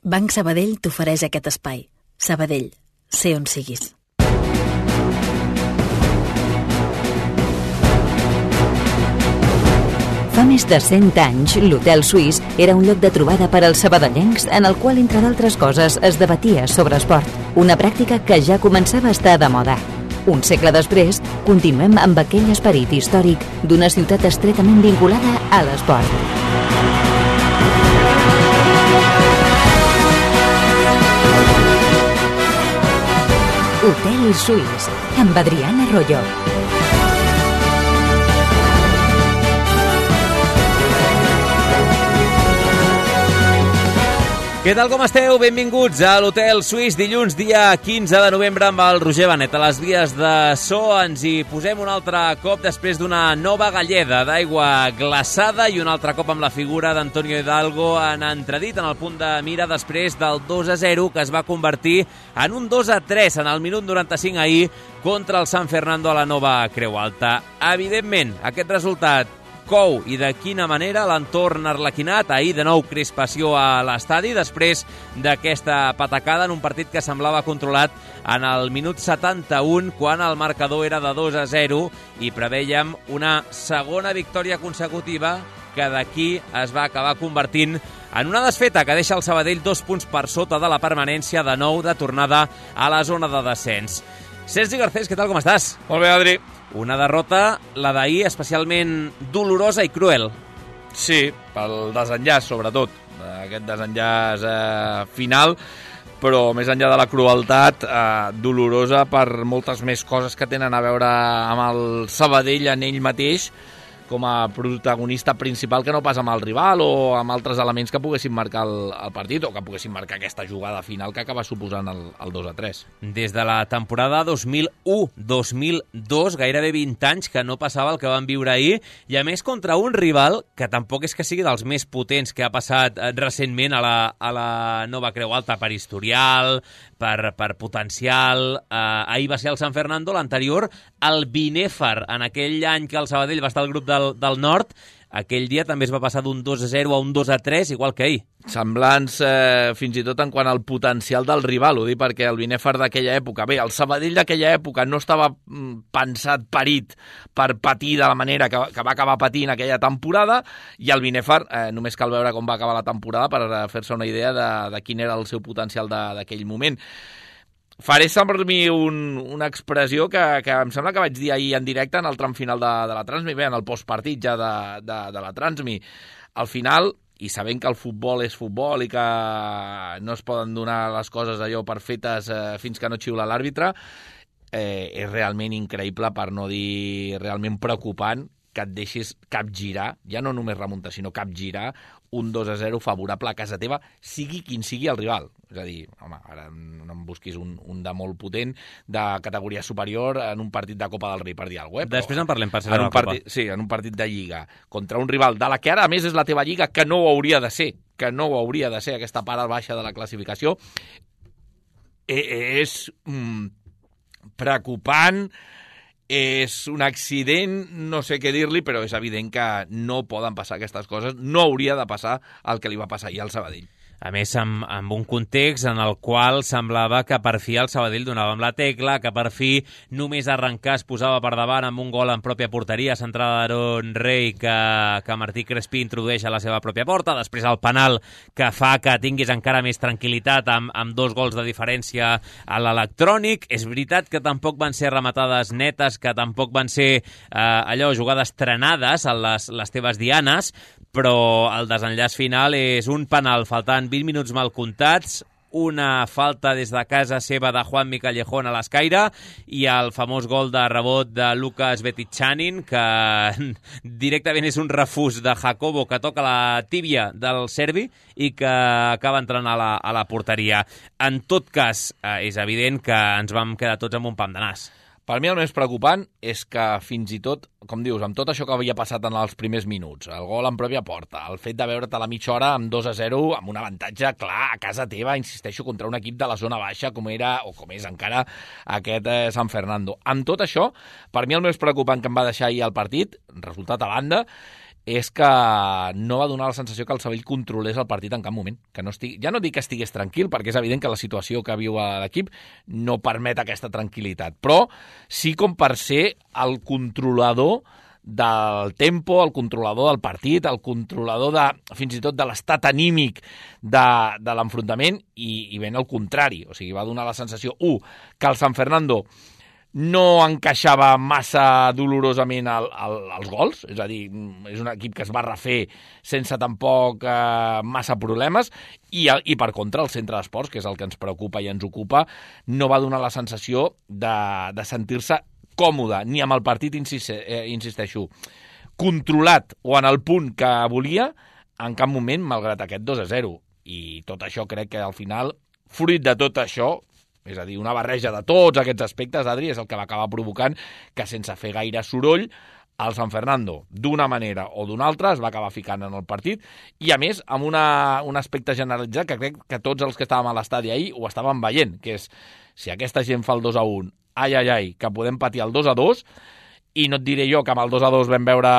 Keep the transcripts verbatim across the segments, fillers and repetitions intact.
Banc Sabadell t'ofereix aquest espai. Sabadell, sé on siguis. Fa més de cent anys, l'Hotel Suís era un lloc de trobada per als sabadellencs en el qual, entre d'altres coses, es debatia sobre esport, una pràctica que ja començava a estar de moda. Un segle després, continuem amb aquell esperit històric d'una ciutat estretament vinculada a l'esport. Hotel Suís, amb Adriana Royo. Què tal, com esteu? Benvinguts a l'Hotel Suís, dilluns, dia quinze de novembre, amb el Roger Benet. A les vies de so ens hi posem un altre cop després d'una nova galleda d'aigua glaçada i un altre cop amb la figura d'Antonio Hidalgo en entredit en el punt de mira després del dos a zero que es va convertir en un dos a tres en el minut noranta-cinc ahir contra el San Fernando a la Nova Creu Alta. Evidentment, aquest resultat cou i de quina manera l'entorn arlequinat. Ahir de nou crispació a l'estadi després d'aquesta patacada en un partit que semblava controlat en el minut setanta-u quan el marcador era de dos a zero i prevèiem una segona victòria consecutiva que d'aquí es va acabar convertint en una desfeta que deixa el Sabadell dos punts per sota de la permanència, de nou de tornada a la zona de descens. Sergi Garcés, què tal, com estàs? Molt bé, Adri. Una derrota, la d'ahir, especialment dolorosa i cruel. Sí, pel desenllaç, sobretot. Aquest desenllaç eh, final, però més enllà de la crueltat, eh, dolorosa per moltes més coses que tenen a veure amb el Sabadell en ell mateix, com a protagonista principal, que no pas amb el rival o amb altres elements que poguessin marcar el, el partit o que poguessin marcar aquesta jugada final que acaba suposant el, el dos a tres. Des de la temporada dos mil u dos mil dos, gairebé vint anys que no passava el que van viure ahir, i a més contra un rival que tampoc és que sigui dels més potents que ha passat recentment a la, a la Nova Creu Alta per historial, per, per potencial. Eh, ahir va ser el San Fernando, l'anterior el Binèfar, en aquell any que el Sabadell va estar al grup del, del Nord. Aquell dia també es va passar d'un dos a zero a un dos a tres, igual que ahir. Semblants eh, fins i tot en quant al potencial del rival, ho dic perquè el Binèfar d'aquella època, bé, el Sabadell d'aquella època no estava mm, pensat, parit per patir de la manera que, que va acabar patint aquella temporada, i el Binèfar, eh, només cal veure com va acabar la temporada per fer-se una idea de, de quin era el seu potencial d'aquell moment. Faré servir un, una expressió que, que em sembla que vaig dir ahir en directe en el tram final de, de la Transmi, bé, en el postpartit ja de, de, de la Transmi. Al final, i sabent que el futbol és futbol i que no es poden donar les coses allò per fetes eh, fins que no xiula l'àrbitre, eh, és realment increïble, per no dir realment preocupant, que et deixis capgirar, ja no només remuntar, sinó capgirar un dos a zero favorable a casa teva, sigui quin sigui el rival. És a dir, home, ara no em busquis un, un de molt potent, de categoria superior, en un partit de Copa del Rei, per dir alguna cosa. Després en parlem, per ser en de un la Copa. Partit, sí, en un partit de Lliga, contra un rival de la que ara, a més, és la teva Lliga, que no ho hauria de ser, que no ho hauria de ser, aquesta part baixa de la classificació, és mm, preocupant. És un accident, no sé què dir-li, però és evident que no poden passar aquestes coses, no hauria de passar el que li va passar ahir al Sabadell. A més, amb, amb un context en el qual semblava que per fi el Sabadell donava amb la tecla, que per fi només arrencar es posava per davant amb un gol en pròpia porteria, centrada d'Aaron Rey, que, que Martí Crespí introdueix a la seva pròpia porta, després el penal que fa que tinguis encara més tranquil·litat amb, amb dos gols de diferència a l'electrònic. És veritat que tampoc van ser rematades netes, que tampoc van ser eh, allò, jugades trenades a les, les teves dianes, però el desenllaç final és un penal faltant vint minuts mal comptats, una falta des de casa seva de Juanmi Callejón a l'escaire i el famós gol de rebot de Lucas Betichanin, que directament és un refús de Jacobo que toca la tíbia del serbi i que acaba entrant a la, a la porteria. En tot cas, eh, és evident que ens vam quedar tots amb un pam de nas. Per mi el més preocupant és que fins i tot, com dius, amb tot això que havia passat en els primers minuts, el gol en pròpia porta, el fet de veure't a la mitja hora amb dos a zero, amb un avantatge clar a casa teva, insisteixo, contra un equip de la zona baixa com era, o com és encara, aquest eh, San Fernando. Amb tot això, per mi el més preocupant que em va deixar ahir el partit, resultat a banda, és que no va donar la sensació que el Sabadell controlés el partit en cap moment. Que no estigui, ja no dic que estigués tranquil, perquè és evident que la situació que viu l'equip no permet aquesta tranquil·litat, però sí com per ser el controlador del tempo, el controlador del partit, el controlador de, fins i tot de l'estat anímic de, de l'enfrontament, i, i ben al contrari. O sigui, va donar la sensació, u, que el San Fernando no encaixava massa dolorosament el, el, els gols, és a dir, és un equip que es va refer sense tampoc eh, massa problemes, i, i per contra el centre d'esports, que és el que ens preocupa i ens ocupa, no va donar la sensació de, de sentir-se còmode, ni amb el partit, insiste, eh, insisteixo, controlat o en el punt que volia, en cap moment, malgrat aquest dos a zero. I tot això crec que al final, fruit de tot això, és a dir, una barreja de tots aquests aspectes, Adri, és el que va acabar provocant que sense fer gaire soroll el San Fernando, d'una manera o d'una altra, es va acabar ficant en el partit, i a més amb una, un aspecte generalitzat que crec que tots els que estàvem a l'estadi ahir ho estàvem veient, que és, si aquesta gent fa el dos a un, ai, ai, ai, que podem patir el dos a dos, i no et diré jo que amb el dos a dos vam veure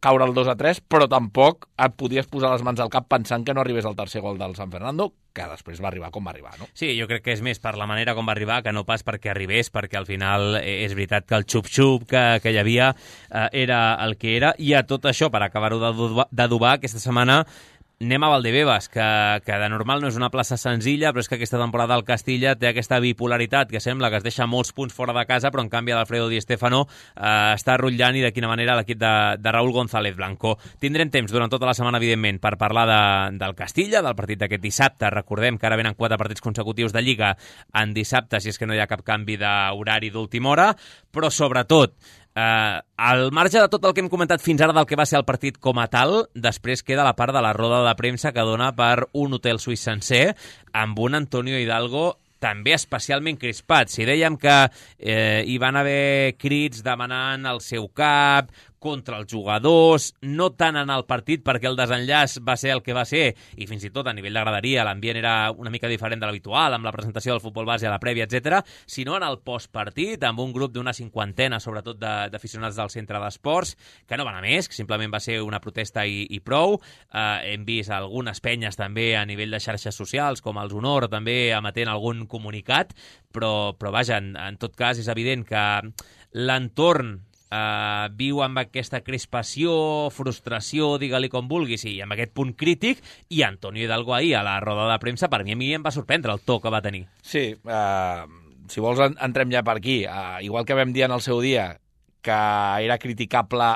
caure el dos a tres, però tampoc et podies posar les mans al cap pensant que no arribés al tercer gol del San Fernando, que després va arribar com va arribar, no? Sí, jo crec que és més per la manera com va arribar que no pas perquè arribés, perquè al final és veritat que el xup-xup que, que hi havia eh, era el que era, i a tot això, per acabar-ho d'adobar, aquesta setmana anem a Valdebebas, que, que de normal no és una plaça senzilla, però és que aquesta temporada el Castilla té aquesta bipolaritat que sembla que es deixa molts punts fora de casa, però en canvi l'Alfredo Di Stéfano eh, està rotllant, i de quina manera l'equip de, de Raúl González Blanco. Tindrem temps durant tota la setmana, evidentment, per parlar de, del Castilla, del partit d'aquest dissabte. Recordem que ara venen quatre partits consecutius de Lliga en dissabte, si és que no hi ha cap canvi d'horari d'última hora, però sobretot Uh, al marge de tot el que hem comentat fins ara del que va ser el partit com a tal, després queda la part de la roda de premsa que dona per un hotel suís sencer, amb un Antonio Hidalgo també especialment crispat. Si dèiem que eh, hi van haver crits demanant el seu cap contra els jugadors, no tant en el partit perquè el desenllaç va ser el que va ser, i fins i tot a nivell de graderia l'ambient era una mica diferent de l'habitual, amb la presentació del futbol base a la prèvia, etcètera, sinó en el postpartit, amb un grup d'una cinquantena, sobretot d'aficionats del centre d'esports, que no van a més, que simplement va ser una protesta i, i prou. Eh, hem vist algunes penyes també a nivell de xarxes socials, com els Honor, també emetent algun comunicat, però, però vaja, en, en tot cas és evident que l'entorn Uh, viu amb aquesta crispació, frustració, digue-li com vulguis, i amb aquest punt crític, i Antonio Hidalgo ahir a la roda de premsa, per mi a mi em va sorprendre el to que va tenir. Sí, uh, si vols en, entrem ja per aquí. Uh, igual que vam dir en el seu dia que era criticable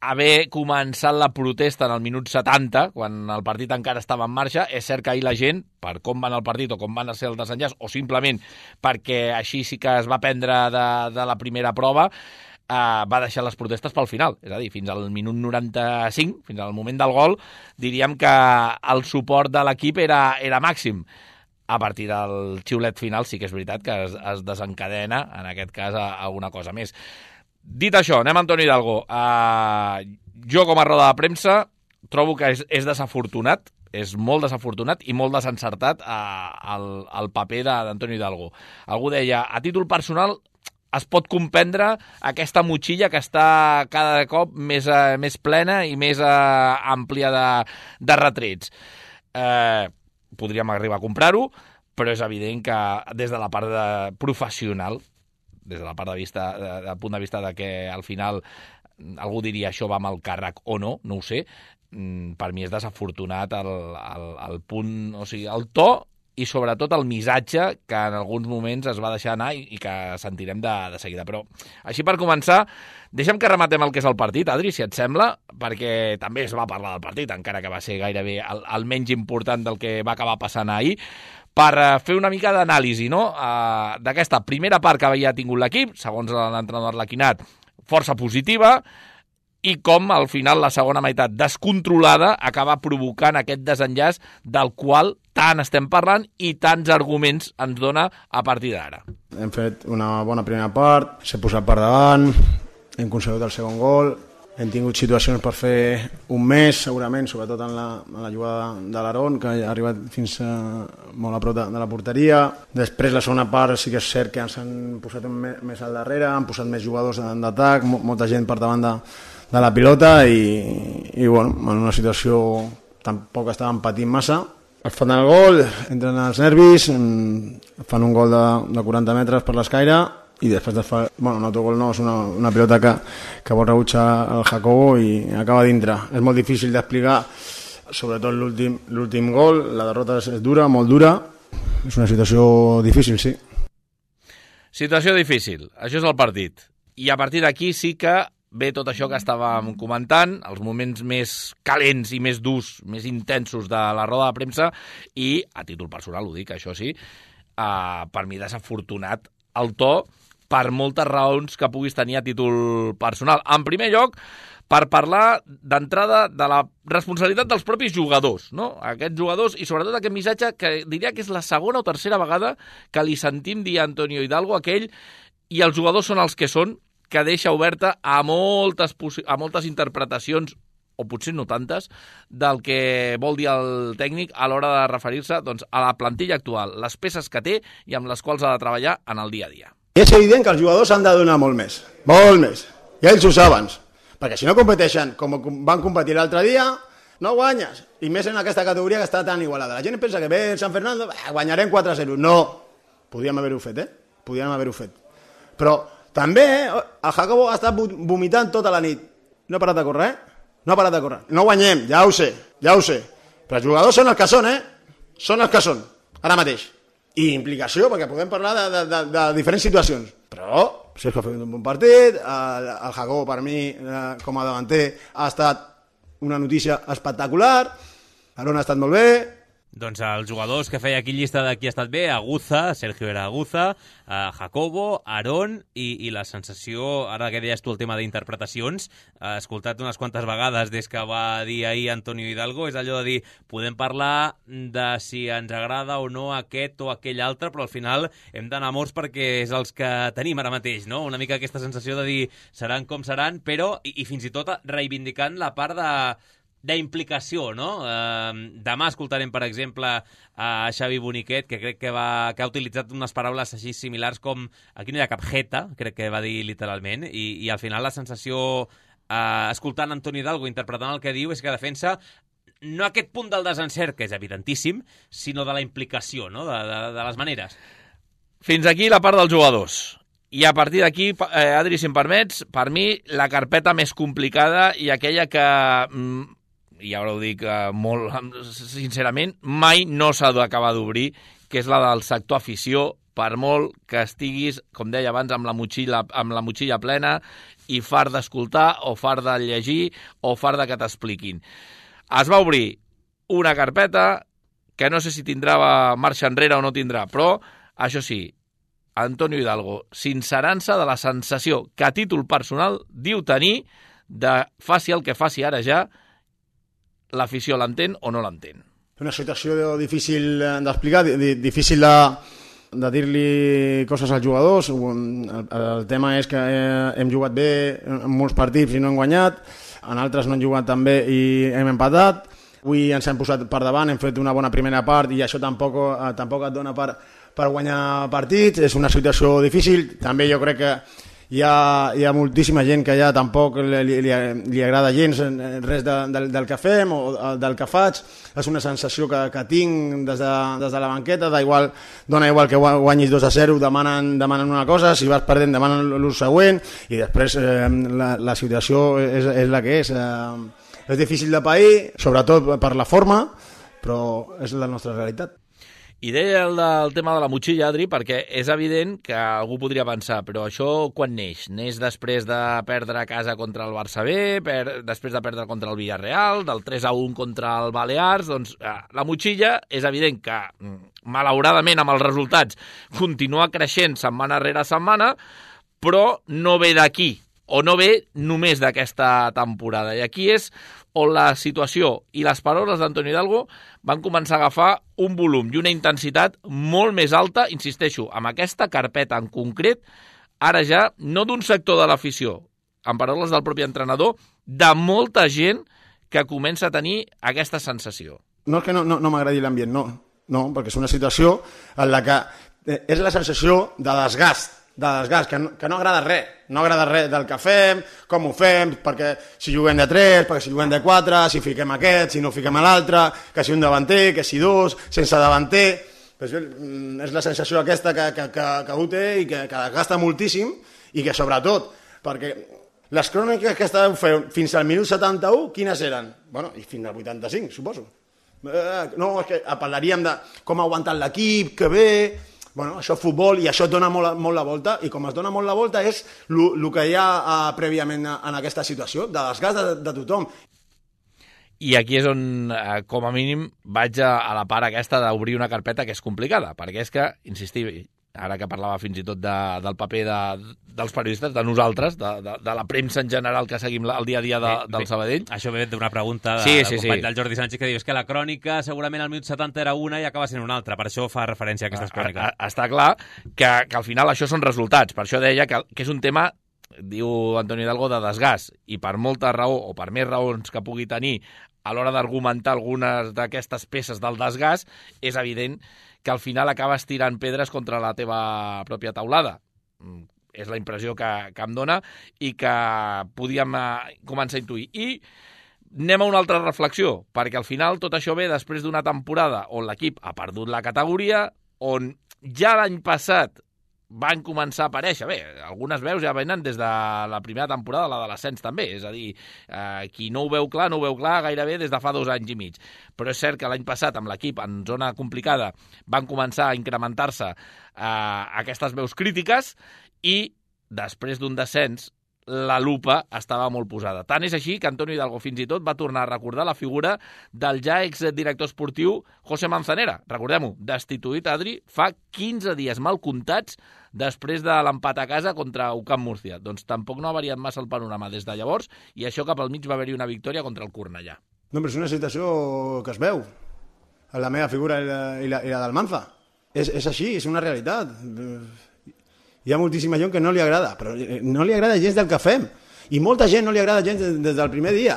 haver començat la protesta en el minut setanta, quan el partit encara estava en marxa, és cert que ahir la gent, per com van el partit o com van ser el desenllaç, o simplement perquè així sí que es va prendre de, de la primera prova, Uh, va deixar les protestes pel final, és a dir, fins al minut noranta-cinc, fins al moment del gol, diríem que el suport de l'equip era, era màxim. A partir del xiulet final sí que és veritat que es, es desencadena, en aquest cas, a, a alguna cosa més. Dit això, anem a Antonio Hidalgo. Uh, jo, com a roda de premsa, trobo que és, és desafortunat, és molt desafortunat i molt desencertat uh, el, el paper d'Antonio Hidalgo. Algú deia, a títol personal, es pot comprendre aquesta motxilla que està cada cop més, eh, més plena i més eh, àmplia de, de retrets. Eh, podríem arribar a comprar-ho, però és evident que des de la part de professional, des de la part de vista, de, de punt de vista de que al final algú diria això va amb el càrrec o no, no ho sé, per mi és desafortunat el, el, el punt, o sigui, el to i sobretot el missatge que en alguns moments es va deixar anar i, i que sentirem de, de seguida. Però així per començar, deixa'm que rematem el que és el partit, Adri, si et sembla, perquè també es va parlar del partit, encara que va ser gairebé el, el menys important del que va acabar passant ahir, per fer una mica d'anàlisi, no?, uh, d'aquesta primera part que havia tingut l'equip, segons l'entrenador Arlequinat, força positiva, i com al final la segona meitat descontrolada acaba provocant aquest desenllaç del qual tant estem parlant i tants arguments ens dona a partir d'ara. Hem fet una bona primera part, s'ha posat per davant, hem aconseguit el segon gol, hem tingut situacions per fer un mes segurament, sobretot en la, en la jugada de l'Aron, que ha arribat fins a, molt a prop de, de la porteria. Després la segona part sí que és cert que ens han posat més al darrere, han posat més jugadors d'atac, molta gent per davant de de la pilota i, i bueno, en una situació tampoc estaven patint massa. Es fan el gol, entren els nervis, fan un gol de, de quaranta metres per l'escaire i després de fa, bueno, un autogol no, és una, una pilota que, que vol rebutjar el Jacobo i acaba dintre. És molt difícil d'explicar, sobretot l'últim l'últim gol, la derrota és dura, molt dura, és una situació difícil, sí. Situació difícil, això és el partit. I a partir d'aquí sí que ve tot això que estàvem comentant, els moments més calents i més durs, més intensos de la roda de premsa i, a títol personal ho dic, això sí, eh, per mi desafortunat el to per moltes raons que puguis tenir a títol personal. En primer lloc, per parlar d'entrada de la responsabilitat dels propis jugadors, no? Aquests jugadors i sobretot aquest missatge que diria que és la segona o tercera vegada que li sentim dir a Antonio Hidalgo aquell i els jugadors són els que són, que deixa oberta a moltes, a moltes interpretacions, o potser no tantes, del que vol dir el tècnic a l'hora de referir-se doncs, a la plantilla actual, les peces que té i amb les quals ha de treballar en el dia a dia. I és evident que els jugadors han de donar molt més, molt més, i ells ho saben, perquè si no competeixen com van competir l'altre dia, no guanyes, i més en aquesta categoria que està tan igualada. La gent pensa que ve San Fernando, guanyarem quatre a zero. No, podíem haver-ho fet, eh? Podíem haver-ho fet. Però també el Jacobo ha estat vomitant tota la nit. No ha parat de córrer, eh? No ha parat de córrer. No guanyem, ja ho sé, ja ho sé. Però els jugadors són els que són, eh? Són els que són, ara mateix. I implicació, perquè podem parlar de, de, de, de diferents situacions. Però Sergio ha fet un bon partit, el, el Jacobo per mi, eh, com a davanter, ha estat una notícia espectacular, Aron ha estat molt bé. Doncs els jugadors que feia aquí llista de qui ha estat bé, Aguza, Sergio era Aguza, eh, Jacobo, Aron i, i la sensació, ara que deies tu el tema d'interpretacions, he escoltat unes quantes vegades des que va dir ahir Antonio Hidalgo, és allò de dir, podem parlar de si ens agrada o no aquest o aquell altre, però al final hem d'anar morts perquè és els que tenim ara mateix, no? Una mica aquesta sensació de dir seran com seran, però, i, i fins i tot reivindicant la part de d'implicació, no? Eh, demà escoltarem, per exemple, a Xavi Boniquet, que crec que, va, que ha utilitzat unes paraules així similars com aquí no hi ha cap jeta, crec que va dir literalment, i, i al final la sensació, eh, escoltant Antonio Hidalgo, interpretant el que diu, és que defensa no aquest punt del desencert, que és evidentíssim, sinó de la implicació, no? de, de, de les maneres. Fins aquí la part dels jugadors. I a partir d'aquí, eh, Adri, si em permets, per mi la carpeta més complicada i aquella que... Mm, i ara ho dic uh, molt sincerament, mai no s'ha d'acabar d'obrir, que és la del sector afició, per molt que estiguis, com deia abans, amb la motxilla, amb la motxilla plena i fart d'escoltar o fart de llegir o fart de que t'expliquin. Es va obrir una carpeta que no sé si tindrà marxa enrere o no tindrà, però, això sí, Antonio Hidalgo, sincerant-se de la sensació que a títol personal diu tenir de faci el que faci ara ja, l'afició l'entén o no l'entén. Una situació difícil d'explicar, difícil de, de dir-li coses als jugadors. El, el tema és que hem jugat bé en molts partits i no hem guanyat, en altres no hem jugat tan bé i hem empatat. Avui ens hem posat per davant, hem fet una bona primera part i això tampoc, tampoc et dona per, per guanyar partits. És una situació difícil. També jo crec que Hi ha, hi ha moltíssima gent que ja tampoc li, li, li agrada gens res de, del, del que fem o del que faig. És una sensació que, que tinc des de, des de la banqueta, da igual, dona igual que guanyis dos a zero, demanen, demanen una cosa, si vas perdent demanen l'ús següent i després eh, la, la situació és, és la que és. Eh, és difícil de pair, sobretot per la forma, però és la nostra realitat. I deia el del tema de la motxilla, Adri, perquè és evident que algú podria pensar, però això quan neix? Neix després de perdre a casa contra el Barça B, per, després de perdre contra el Villarreal, del tres a un contra el Balears, doncs eh, la motxilla és evident que, malauradament amb els resultats, continua creixent setmana rere setmana, però no ve d'aquí, o no ve només d'aquesta temporada. I aquí és on la situació i les paraules d'Antonio Hidalgo van començar a agafar un volum i una intensitat molt més alta, insisteixo, amb aquesta carpeta en concret, ara ja no d'un sector de l'afició, en paraules del propi entrenador, de molta gent que comença a tenir aquesta sensació. No és que no, no, no m'agradi l'ambient, no, no, perquè és una situació en la que és la sensació de desgast de desgast, que no, que no agrada res, no agrada res del que fem, com ho fem, perquè si juguem de tres, perquè si juguem de quatre, si fiquem aquest, si no fiquem a l'altre, que si un davanter, que si dos, sense davanter, pues, és la sensació aquesta que, que, que, que ho té i que, que desgasta moltíssim i que sobretot, perquè les cròniques que estàveu fent fins al minut setanta-u, quines eren? Bueno, i fins al vuitanta-cinc, suposo. Eh, no, és que parlaríem de com ha aguantat l'equip, que bé... Bueno, això és futbol i això et dona molt, molt la volta i com es dona molt la volta és el que hi ha uh, prèviament en aquesta situació, de desgast de, de tothom. I aquí és on, eh, com a mínim, vaig a, a la part aquesta d'obrir una carpeta que és complicada, perquè és que, insistim, ara que parlava fins i tot de, del paper de, dels periodistes, de nosaltres, de, de, de la premsa en general que seguim el dia a dia de, del Sabadell. Això ve d'una pregunta de, sí, del sí, company sí. del Jordi Sánchez que diu és que la crònica segurament al minut setanta era una i acaba sent una altra, per això fa referència a aquestes cròniques. A, a, està clar que, que al final això són resultats, per això deia que, que és un tema, diu Antonio Hidalgo, de desgast, i per molta raó o per més raons que pugui tenir a l'hora d'argumentar algunes d'aquestes peces del desgast, és evident que al final acabes tirant pedres contra la teva pròpia taulada. És la impressió que, que em dona i que podíem eh, començar a intuir. I anem a una altra reflexió, perquè al final tot això ve després d'una temporada on l'equip ha perdut la categoria, on ja l'any passat van començar a aparèixer, bé, algunes veus ja venen des de la primera temporada, la de l'ascens també, és a dir, eh, qui no ho veu clar, no ho veu clar gairebé des de fa dos anys i mig. Però és cert que l'any passat, amb l'equip en zona complicada, van començar a incrementar-se eh, aquestes veus crítiques i després d'un descens la lupa estava molt posada. Tant és així que Antonio Hidalgo fins i tot va tornar a recordar la figura del ja exdirector esportiu José Manzanera. Recordem-ho, destituït, Adri, fa quinze dies mal comptats després de l'empat a casa contra U C A M Múrcia. Doncs tampoc no ha variat massa el panorama des de llavors i això cap al mig va haver-hi una victòria contra el Cornellà. No, però és una situació que es veu. La meva figura i la, i la, i la del Manza. És, és així, és una realitat. Hi ha moltíssima gent que no li agrada, però no li agrada gens del que fem. I molta gent no li agrada gens des, des del primer dia.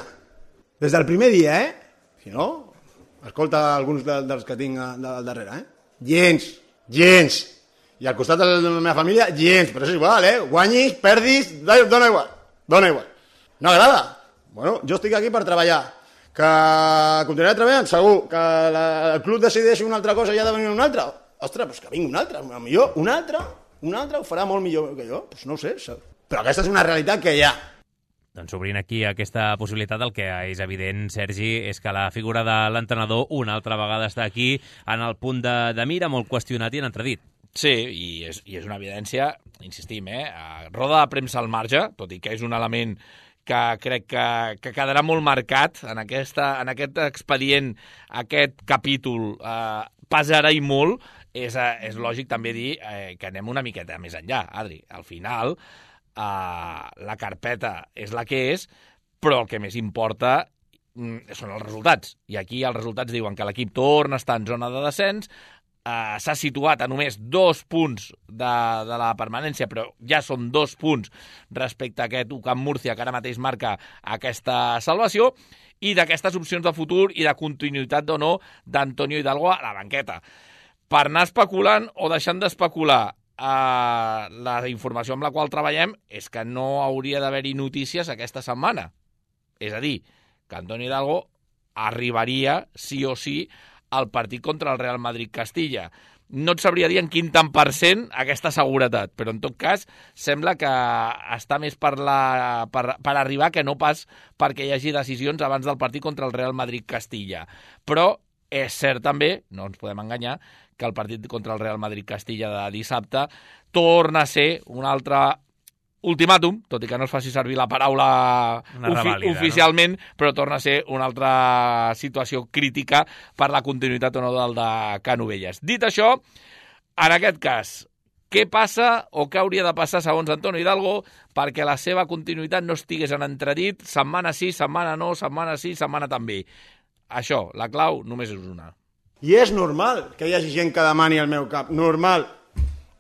Des del primer dia, eh? Si no, escolta alguns de, dels que tinc al darrere, eh? Gens, gens. I al costat de la meva família, gens. Però és igual, eh? Guanyis, perdis, dona igual. Dona igual. No agrada? Bueno, jo estic aquí per treballar. Que continuaré treballant? Segur. Que la, el club decideixi una altra cosa i ha de venir una altra? Ostres, doncs que vingui una altra. A millor una altra... Un altre ho farà molt millor que jo? Pues no ho sé, però aquesta és una realitat que hi ha. Doncs obrint aquí aquesta possibilitat, el que és evident, Sergi, és que la figura de l'entrenador una altra vegada està aquí en el punt de, de mira, molt qüestionat i en entredit. Sí, i és, i és una evidència, insistim, eh? Roda de premsa al marge, tot i que és un element que crec que, que quedarà molt marcat en, aquesta, en aquest expedient, aquest capítol, eh, pesarà i molt. És, és lògic també dir eh, que anem una miqueta més enllà, Adri. Al final, eh, la carpeta és la que és, però el que més importa mm, són els resultats. I aquí els resultats diuen que l'equip torna a estar en zona de descens, eh, s'ha situat a només dos punts de, de la permanència, però ja són dos punts respecte a aquest U C A M Múrcia, que ara mateix marca aquesta salvació, i d'aquestes opcions de futur i de continuïtat o no d'Antonio Hidalgo a la banqueta. Per anar especulant o deixant d'especular, eh, la informació amb la qual treballem és que no hauria d'haver-hi notícies aquesta setmana. És a dir, que Antonio Hidalgo arribaria, sí o sí, al partit contra el Real Madrid-Castilla. No et sabria dir en quin tant per cent aquesta seguretat, però en tot cas sembla que està més per, la, per, per arribar que no pas perquè hi hagi decisions abans del partit contra el Real Madrid-Castilla. Però és cert també, no ens podem enganyar, que el partit contra el Real Madrid-Castilla de dissabte torna a ser un altre ultimàtum, tot i que no es faci servir la paraula ofi oficialment, no? Però torna a ser una altra situació crítica per la continuïtat o no del de Canovelles. Dit això, en aquest cas, què passa o què hauria de passar segons Antonio Hidalgo perquè la seva continuïtat no estigués en entredit setmana sí, setmana no, setmana sí, setmana també? Això, la clau només és una. I és normal que hi hagi gent que demani el meu cap. Normal.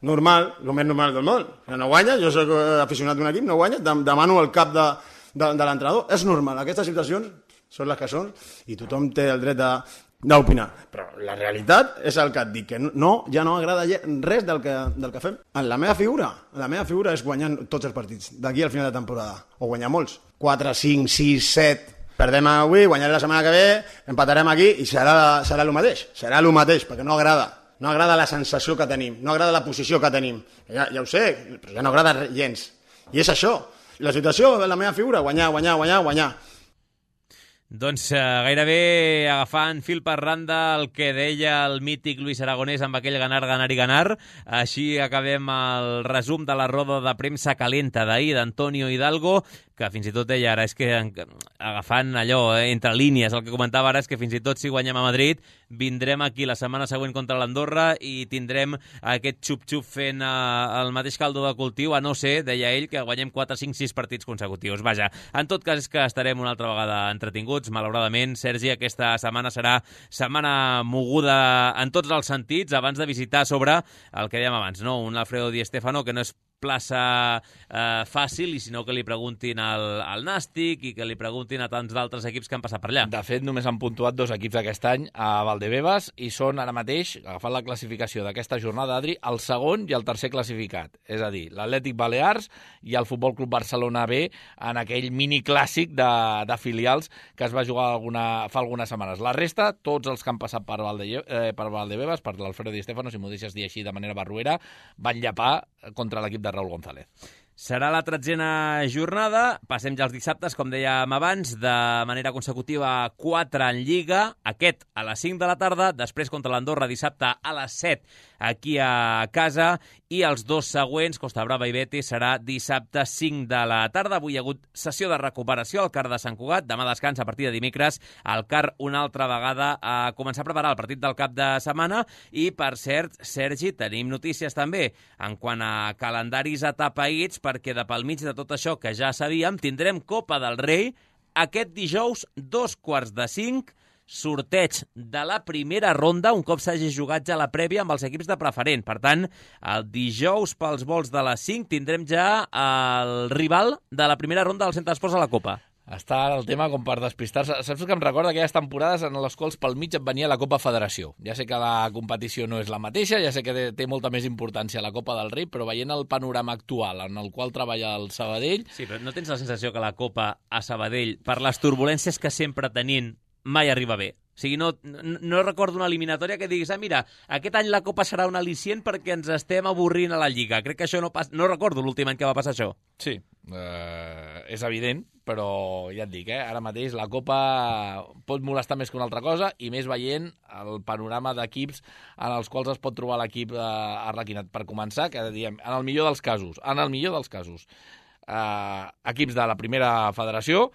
Normal, el més normal del món. Si no guanyes, jo soc aficionat d'un equip, no guanyes, demano el cap de, de, de l'entrenador. És normal. Aquestes situacions són les que són i tothom té el dret de, d'opinar. Però la realitat és el que et dic, que no, ja no agrada res del que, del que fem. La meva figura, la meva figura és guanyar tots els partits, d'aquí al final de temporada, o guanyar molts, quatre, cinc, sis, set, perdem avui, guanyaré la setmana que ve, empatarem aquí i serà, serà el mateix, serà el mateix, perquè no agrada. No agrada la sensació que tenim, no agrada la posició que tenim. Ja, ja ho sé, però ja no agrada gens. I és això. La situació de la meva figura, guanyar, guanyar, guanyar, guanyar. Doncs eh, gairebé agafant fil per randa el que deia el mític Luis Aragonès amb aquell ganar, ganar i ganar. Així acabem el resum de la roda de premsa calenta d'ahir d'Antonio Hidalgo, que fins i tot deia ara, és que agafant allò, eh, entre línies, el que comentava ara és que fins i tot si guanyem a Madrid, vindrem aquí la setmana següent contra l'Andorra i tindrem aquest xup-xup fent eh, el mateix caldo de cultiu, a no ser, deia ell, que guanyem quatre, cinc, sis partits consecutius. Vaja, en tot cas és que estarem una altra vegada entretinguts, malauradament. Sergi, aquesta setmana serà setmana moguda en tots els sentits, abans de visitar sobre el que dèiem abans, no? Un Alfredo Di Stéfano que no és plaça eh, fàcil, i sinó que li preguntin al, al Nàstic i que li preguntin a tants d'altres equips que han passat per allà. De fet, només han puntuat dos equips aquest any a Valdebebas i són ara mateix, agafant la classificació d'aquesta jornada, Adri, el segon i el tercer classificat. És a dir, l'Atlètic Balears i el Futbol Club Barcelona B en aquell mini clàssic de, de filials que es va jugar alguna, fa algunes setmanes. La resta, tots els que han passat per, Valde, eh, per Valdebebas, per l'Alfredo Di Stéfano, si m'ho deixes dir així de manera barruera, van llapar contra l'equip de Raúl González. Serà la tretzena jornada, passem ja els dissabtes, com dèiem abans, de manera consecutiva quatre en Lliga, aquest a les cinc de la tarda, després contra l'Andorra dissabte a les set aquí a casa, i els dos següents, Costa Brava i Betis, serà dissabte cinc de la tarda. Avui hi ha hagut sessió de recuperació al CAR de Sant Cugat, demà descans a partir de dimecres, el CAR una altra vegada a començar a preparar el partit del cap de setmana, i per cert, Sergi, tenim notícies també en quant a calendaris atapeïts, perquè de pel mig de tot això que ja sabíem, tindrem Copa del Rei aquest dijous, dos quarts de cinc, sorteig de la primera ronda, un cop s'hagi jugat ja la prèvia amb els equips de preferent. Per tant, el dijous pels vols de les cinc tindrem ja el rival de la primera ronda del Centre d'Esports a la Copa. Està el tema com per despistar-se. Saps que em recorda aquelles temporades en les quals pel mig et venia la Copa Federació. Ja sé que la competició no és la mateixa, ja sé que té molta més importància la Copa del Rei, però veient el panorama actual en el qual treballa el Sabadell... Sí, però no tens la sensació que la Copa a Sabadell, per les turbulències que sempre tenint, mai arriba bé? O sigui, no, no, no recordo una eliminatòria que diguis, ah, mira, aquest any la Copa serà un al·licient perquè ens estem avorrint a la Lliga. Crec que això no passa... No recordo l'últim any que va passar això. Sí, eh, és evident, però ja et dic, eh, ara mateix la Copa pot molestar més que una altra cosa, i més veient el panorama d'equips en els quals es pot trobar l'equip eh, arlequinat. Per començar, que diem, en el millor dels casos, en el millor dels casos, eh, equips de la primera federació,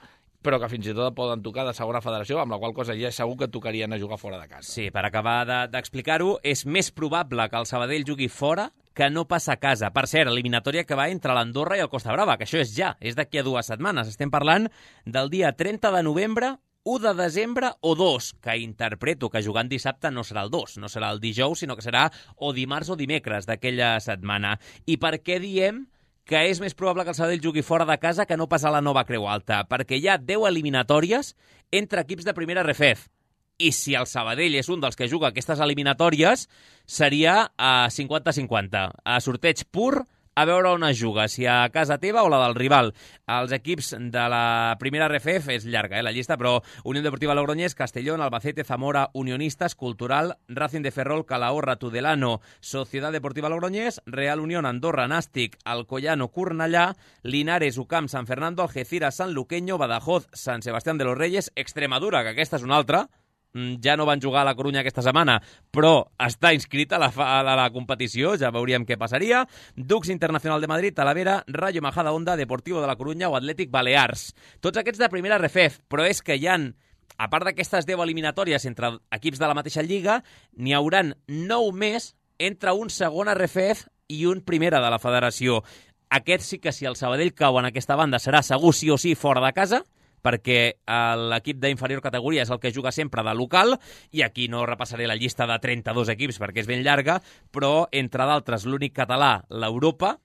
però que fins i tot poden tocar de segona federació, amb la qual cosa ja és segur que tocarien a jugar fora de casa. Sí, per acabar d'explicar-ho, de, és més probable que el Sabadell jugui fora que no passa a casa. Per cert, eliminatòria que va entre l'Andorra i el Costa Brava, que això és ja, és d'aquí a dues setmanes. Estem parlant del dia trenta de novembre, u de desembre o dos, que interpreto que jugant dissabte no serà el dos, no serà el dijous, sinó que serà o dimarts o dimecres d'aquella setmana. I per què diem que és més probable que el Sabadell jugui fora de casa que no pas a la Nova Creu Alta? Perquè hi ha deu eliminatòries entre equips de primera R F E F. I si el Sabadell és un dels que juga aquestes eliminatòries, seria a cinquanta cinquanta. A sorteig pur, a veure on es juga, si a casa teva o la del rival. Els equips de la primera R F E F és llarga, eh, la llista, però Unión Deportiva Logroñés, Castellón, Albacete, Zamora, Unionistas, Cultural, Racing de Ferrol, Calahorra, Tudelano, Sociedad Deportiva Logroñés, Real Unión, Andorra, Nàstic, Alcoyano, Cornellà, Linares, U C A M, San Fernando, Algeciras, San Luqueño, Badajoz, San Sebastián de los Reyes, Extremadura, que aquesta és una altra, ja no van jugar a la Corunya aquesta setmana, però està inscrita a la, a la, a la competició, ja veuríem què passaria. Dux Internacional de Madrid, Talavera, Rayo Majadahonda, Deportivo de la Corunya o Atlètic Balears. Tots aquests de primera R F E F, però és que hi ha, a part d'aquestes deu eliminatòries entre equips de la mateixa lliga, n'hi hauran nou més entre un segon R F E F i un primera de la federació. Aquest sí que si el Sabadell cau en aquesta banda serà segur sí o sí fora de casa, perquè l'equip d'inferior categoria és el que juga sempre de local, i aquí no repassaré la llista de trenta-dos equips perquè és ben llarga, però entre d'altres l'únic català, l'Europa,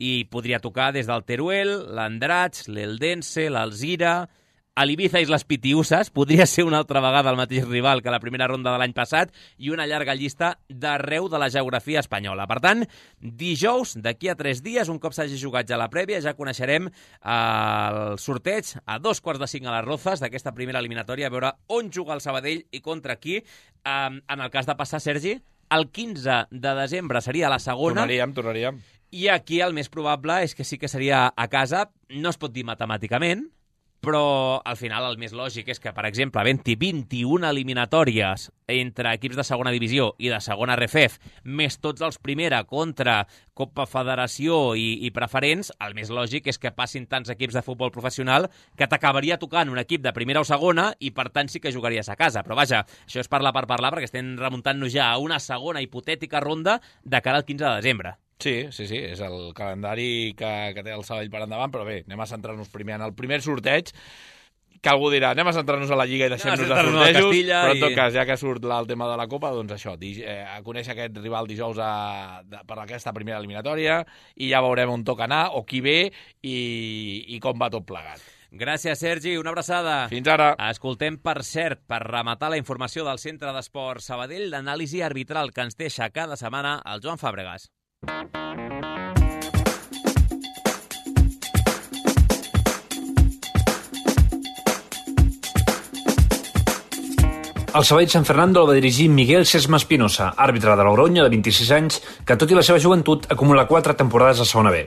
i podria tocar des del Teruel, l'Andratx, l'Eldense, l'Alzira, a l'Ibiza Islas Pitiusas, podria ser una altra vegada el mateix rival que la primera ronda de l'any passat, i una llarga llista d'arreu de la geografia espanyola. Per tant, dijous, d'aquí a tres dies, un cop s'hagi jugat ja la prèvia, ja coneixerem el sorteig a dos quarts de cinc a les Rozas d'aquesta primera eliminatòria, a veure on juga el Sabadell i contra qui. En el cas de passar, Sergi, el quinze de desembre seria la segona. Tornaríem, tornaríem. I aquí el més probable és que sí que seria a casa. No es pot dir matemàticament, però al final el més lògic és que, per exemple, havent-hi vint-i-una eliminatòries entre equips de segona divisió i de segona R F E F, més tots els primera contra Copa Federació i, i preferents, el més lògic és que passin tants equips de futbol professional que t'acabaria tocant un equip de primera o segona i, per tant, sí que jugaries a casa. Però, vaja, això és parlar per parlar, perquè estem remuntant-nos ja a una segona hipotètica ronda de cara al quinze de desembre. Sí, sí, sí, és el calendari que, que té el Sabadell per endavant, però bé, anem a centrar-nos primer en el primer sorteig, que algú dirà, anem a centrar-nos a la Lliga i deixem-nos de sortejos, però en tot cas, ja que surt el tema de la Copa, doncs això, eh, a conèixer aquest rival dijous a, de, per aquesta primera eliminatòria, i ja veurem on toca anar, o qui ve, i, i com va tot plegat. Gràcies, Sergi. Una abraçada. Fins ara. Escoltem, per cert, per rematar la informació del Centre d'Esports Sabadell, l'anàlisi arbitral que ens deixa cada setmana el Joan Fàbregas. El Sabadell Sant Fernando el va dirigir Miguel Sesma Espinosa, àrbitre de Logroño de vint-i-sis anys, que tot i la seva joventut acumula quatre temporades a segona B.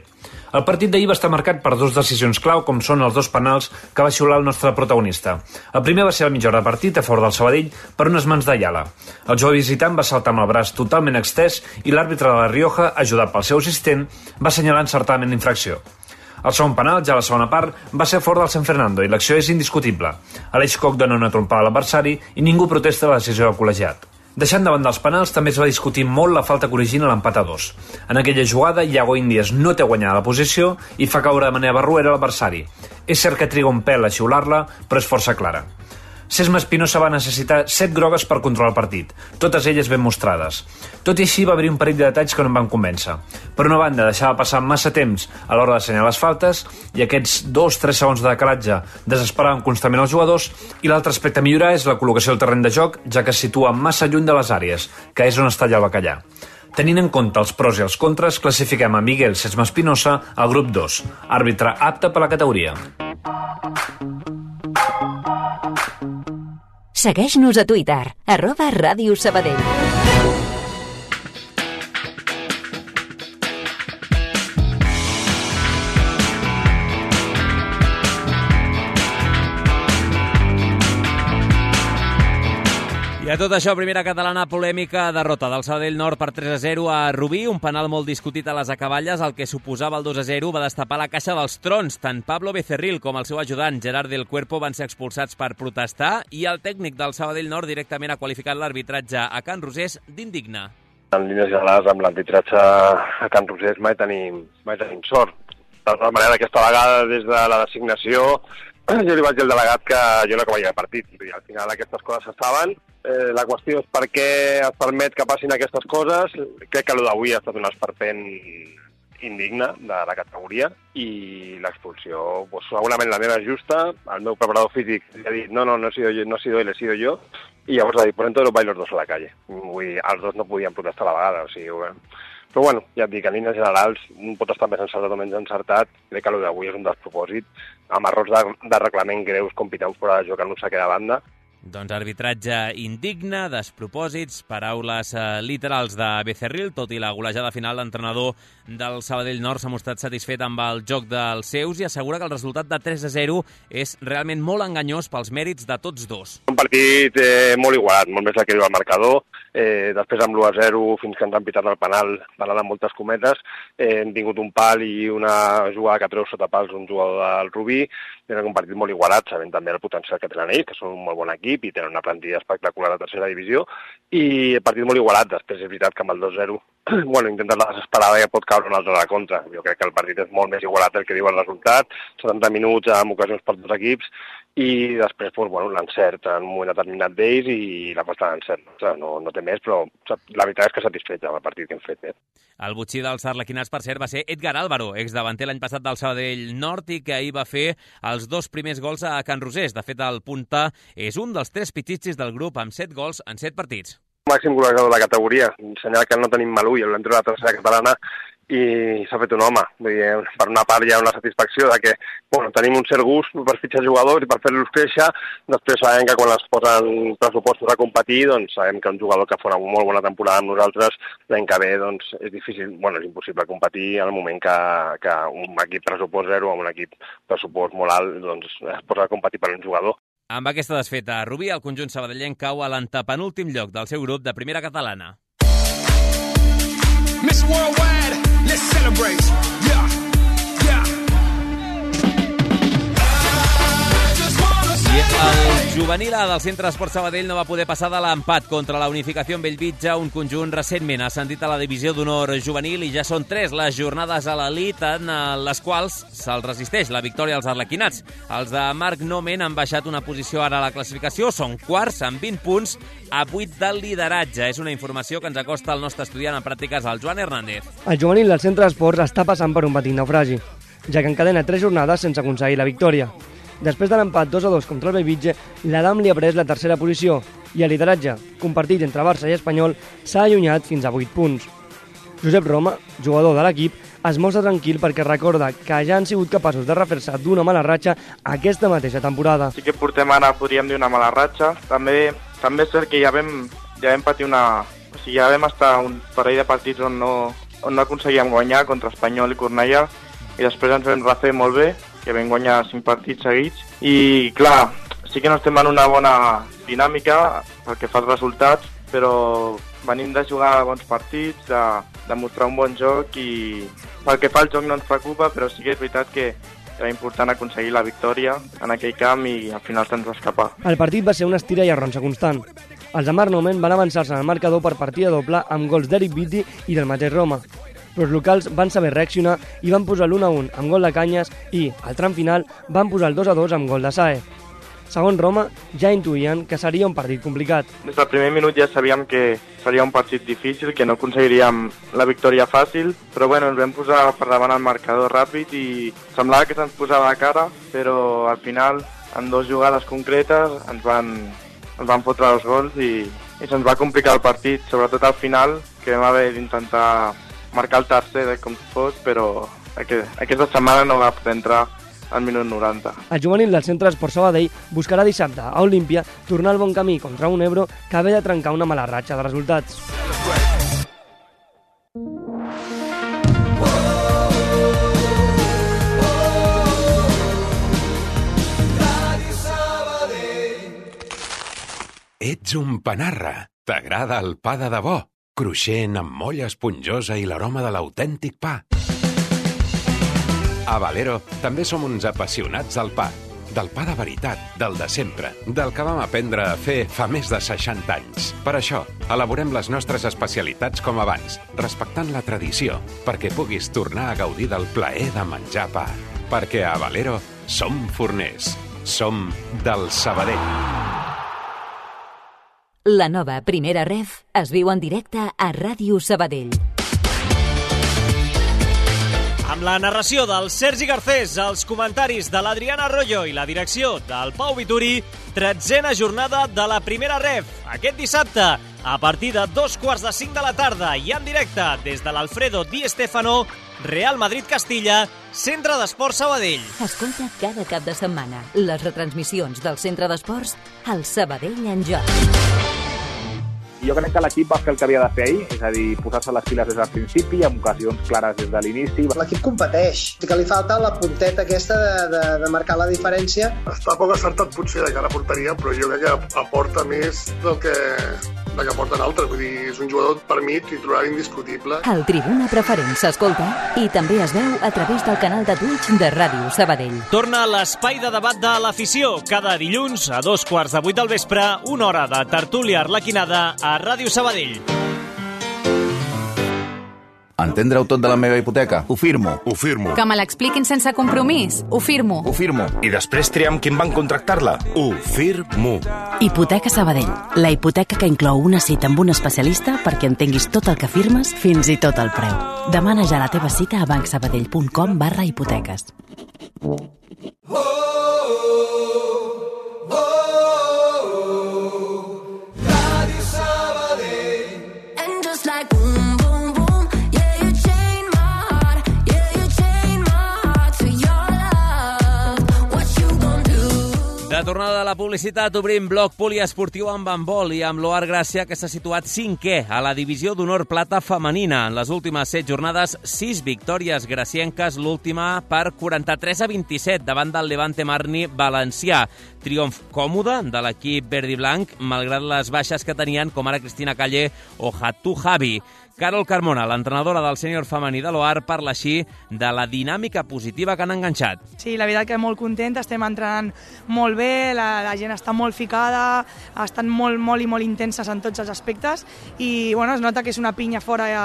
El partit d'ahir va estar marcat per dues decisions clau, com són els dos penals que va xiular el nostre protagonista. El primer va ser a mitja hora de partit a favor del Sabadell per unes mans d'Ayala. El jove visitant va saltar amb el braç totalment extès i l'àrbitre de la Rioja, ajudat pel seu assistent, va assenyalar encertadament l'infracció. El segon penal, ja a la segona part, va ser a favor del Sant Fernando i l'acció és indiscutible. Aleix Koch dona una trompada a l'adversari i ningú protesta la decisió del col·legiat. Deixant de banda els penals, també es va discutir molt la falta que origina l'empat a dos. En aquella jugada, Iago Índies no té guanyada la posició i fa caure de manera barruera l'adversari. És cert que triga un pèl a xiular-la, però és força clara. Sesma Espinosa va necessitar set grogues per controlar el partit, totes elles ben mostrades. Tot i així va haver un parell de detalls que no em van convèncer. Per una banda, deixava passar massa temps a l'hora d'assenyalar les faltes i aquests dos tres segons de decalatge desesperaven constantment els jugadors, i l'altre aspecte a millorar és la col·locació del terreny de joc, ja que es situa massa lluny de les àrees, que és on està allà el bacallà. Tenint en compte els pros i els contres, classifiquem a Miguel Sesma Espinosa al grup dos, àrbitre apte per la categoria. Segueix-nos a Twitter, arroba Ràdio Sabadell. I a tot això, primera catalana polèmica, derrota del Sabadell Nord per tres a zero a Rubí, un penal molt discutit a les acaballes, el que suposava el dos a zero va destapar la caixa dels trons. Tant Pablo Becerril com el seu ajudant Gerard del Cuerpo van ser expulsats per protestar, i el tècnic del Sabadell Nord directament ha qualificat l'arbitratge a Can Rosés d'indigne. En línies generals, amb l'arbitratge a Can Rosés mai tenim, mai tenim sort. De tota manera, aquesta vegada, des de la designació, jo li vaig dir al delegat que jo no acabaria el partit. I al final aquestes coses se saben. Eh, la qüestió és per què es permet que passin aquestes coses. Crec que el d'avui ha estat un esperpent indigne de la categoria, i l'expulsió, pues, segurament la meva és justa. El meu preparador físic ha dit no, no, no he sido yo, no he sido él, he sido yo, i llavors ha dit, pues entonces vais los dos a la calle. Vull dir, els dos no podien protestar a la vegada, o sigui, bueno. Però bueno, ja et dic, en línies generals pot estar més encertat o menys encertat. Crec que el d'avui és un despropòsit, amb errors de, de reglament greus, com pitar un fora de joc en un saque de banda. Doncs arbitratge indigne, despropòsits, paraules eh, literals de Becerril, tot i la golejada final, l'entrenador del Sabadell Nord s'ha mostrat satisfet amb el joc dels seus i assegura que el resultat de tres a zero és realment molt enganyós pels mèrits de tots dos. Un partit eh, molt igualat, molt més del que diu el marcador. Eh, després amb l'u a zero, fins que ens han pitat el penal, penal amb moltes cometes, eh, hem tingut un pal i una jugada que treu sota pals un jugador del Rubí. És un partit molt igualat, sabent també el potencial que tenen ells, que són un molt bon equip i tenen una plantilla espectacular a tercera divisió, i el partit molt igualat. Després és veritat que amb el dos a zero bueno, intentar la desesperada ja pot caure un altre a la contra. Jo crec que el partit és molt més igualat del que diu el resultat, setanta minuts amb ocasions per dos equips, i després doncs, bueno, l'encert en un moment determinat d'ells i la posta d'encert. No, no té més, però la veritat és que satisfet amb el partit que hem fet. Eh? El botxí dels arlequinats, per cert, va ser Edgar Álvaro, exdavanter l'any passat del Sabadell Nord i que ahir va fer els dos primers gols a Can Rosés. De fet, el punta és un dels tres pitxitxis del grup amb set gols en set partits. Màxim golejador de la categoria, ensenyar que no tenim Malú i l'hem tret a la tercera catalana i s'ha fet un home. Vull dir, per una part hi ha una satisfacció de que bueno, tenim un cert gust per fitxar jugadors i per fer-los créixer. Després sabem que quan es posen pressupostos a competir, doncs sabem que un jugador que fa una molt bona temporada amb nosaltres l'any que ve doncs, és difícil, bueno, és impossible competir en el moment que, que un equip pressupost zero amb un equip pressupost molt alt doncs, es posa a competir per un jugador. Amb aquesta desfeta, Rubí, el conjunt sabadellenc cau a l'antepenúltim lloc del seu grup de primera catalana. Miss Worldwide, let's celebrate. Yeah, yeah. I el juvenil A del Centre Esport Sabadell no va poder passar de l'empat contra la Unificació en Bellvitge, un conjunt recentment ascendit a la divisió d'honor juvenil, i ja són tres les jornades a l'elit en les quals se'ls resisteix la victòria als arlequinats. Els de Marc Nomen han baixat una posició ara a la classificació, són quarts amb vint punts a vuit del lideratge. És una informació que ens acosta el nostre estudiant en pràctiques, el Joan Hernández. El juvenil del Centre Esports està passant per un petit naufragi, ja que encadena tres jornades sense aconseguir la victòria. Després de l'empat dos a dos contra el Bellvitge, l'Adam li ha pres la tercera posició i el lideratge, compartit entre Barça i Espanyol, s'ha allunyat fins a vuit punts. Josep Roma, jugador de l'equip, es mostra tranquil perquè recorda que ja han sigut capaços de refer-se d'una mala ratxa aquesta mateixa temporada. Sí que portem ara, podríem dir, una mala ratxa. També, també és cert que ja vam, ja vam patir una... O sigui, ja vam estar un parell de partits on no, on no aconseguíem guanyar contra Espanyol i Cornellà i després ens vam refer molt bé, que vam guanyar cinc partits seguits, i clar, sí que no estem en una bona dinàmica pel que fa als resultats, però venim de jugar bons partits, de, de mostrar un bon joc, i pel que fa al joc no ens preocupa, però sí que és veritat que era important aconseguir la victòria en aquell camp i al final se'ns va escapar. El partit va ser una estira i arronsa constant. Els de Marc Nomen van avançar-se en el marcador per partida doble amb gols d'Eric Vitti i del mateix Roma. Però els locals van saber reaccionar i van posar l'u a un amb gol de Canyes i, al tram final, van posar el dos a dos amb gol de Sae. Segons Roma, ja intuïen que seria un partit complicat. Des del primer minut ja sabíem que seria un partit difícil, que no aconseguiríem la victòria fàcil, però bueno, ens vam posar per davant el marcador ràpid i semblava que se'ns posava a cara, però al final, en dues jugades concretes, ens van, ens van fotre els gols i, i se'ns va complicar el partit, sobretot al final, que vam haver d'intentar marcar el tercer de com fos, però aquesta setmana no va poder entrar al minut noranta. El juvenil del Centre Esport Sabadell buscarà dissabte a Olímpia tornar al bon camí contra un Ebro que ve de trencar una mala ratxa de resultats. Ets un panarra. T'agrada el pa de debò? Cruixent, amb molla esponjosa i l'aroma de l'autèntic pa. A Valero també som uns apassionats del pa. Del pa de veritat, del de sempre, del que vam aprendre a fer fa més de seixanta anys. Per això, elaborem les nostres especialitats com abans, respectant la tradició, perquè puguis tornar a gaudir del plaer de menjar pa. Perquè a Valero som forners. Som del Sabadell. La nova Primera Ref es viu en directe a Ràdio Sabadell. Amb la narració del Sergi Garcés, els comentaris de l'Adriana Arroyo i la direcció del Pau Vituri, tretzena jornada de la Primera Ref. Aquest dissabte, a partir de dos quarts de cinc de la tarda i en directe des de l'Alfredo Di Stéfano, Real Madrid-Castilla, Centre d'Esports Sabadell. Escolta cada cap de setmana les retransmissions del Centre d'Esports al Sabadell en joc. Jo crec que l'equip va fer el que havia de fer ahir, és a dir, posar-se les piles des del principi, amb ocasions clares des de l'inici. L'equip competeix, que li falta la punteta aquesta de, de, de marcar la diferència. Està poc acertat potser de cara a porteria, però jo crec que aporta més del que, del que aporten altres. Vull dir, és un jugador per mi titular indiscutible. El Tribuna Preferent s'escolta i també es veu a través del canal de Twitch de Ràdio Sabadell. Torna l'espai de debat de l'afició, cada dilluns a dos quarts de vuit del vespre, una hora de tertúlia arlequinada a Ràdio Sabadell. Entendre-ho tot de la meva hipoteca? Ho firmo. Ho firmo. Que me l'expliquin sense compromís? Ho firmo. Ho firmo. I després triar amb qui em van contractar-la? Ho firmo. Hipoteca Sabadell. La hipoteca que inclou una cita amb un especialista perquè entenguis tot el que firmes, fins i tot el preu. Demana ja la teva cita a bancsabadell.com barra hipoteques. De tornada de la publicitat, obrim bloc poliesportiu amb handbol i amb l'O A R Gràcia, que s'ha situat cinquè a la divisió d'honor plata femenina. En les últimes set jornades, sis victòries gracienques, l'última per quaranta-tres a vint-i-set davant del Levante Marni valencià. Triomf còmode de l'equip verd i blanc, malgrat les baixes que tenien, com ara Cristina Calle o Hatu Javi. Carol Carmona, l'entrenadora del sènior femení de l'O A R, parla així de la dinàmica positiva que han enganxat. Sí, la veritat que molt contenta, estem entrenant molt bé, la, la gent està molt ficada, estan molt, molt i molt intenses en tots els aspectes i bueno, es nota que és una pinya fora de,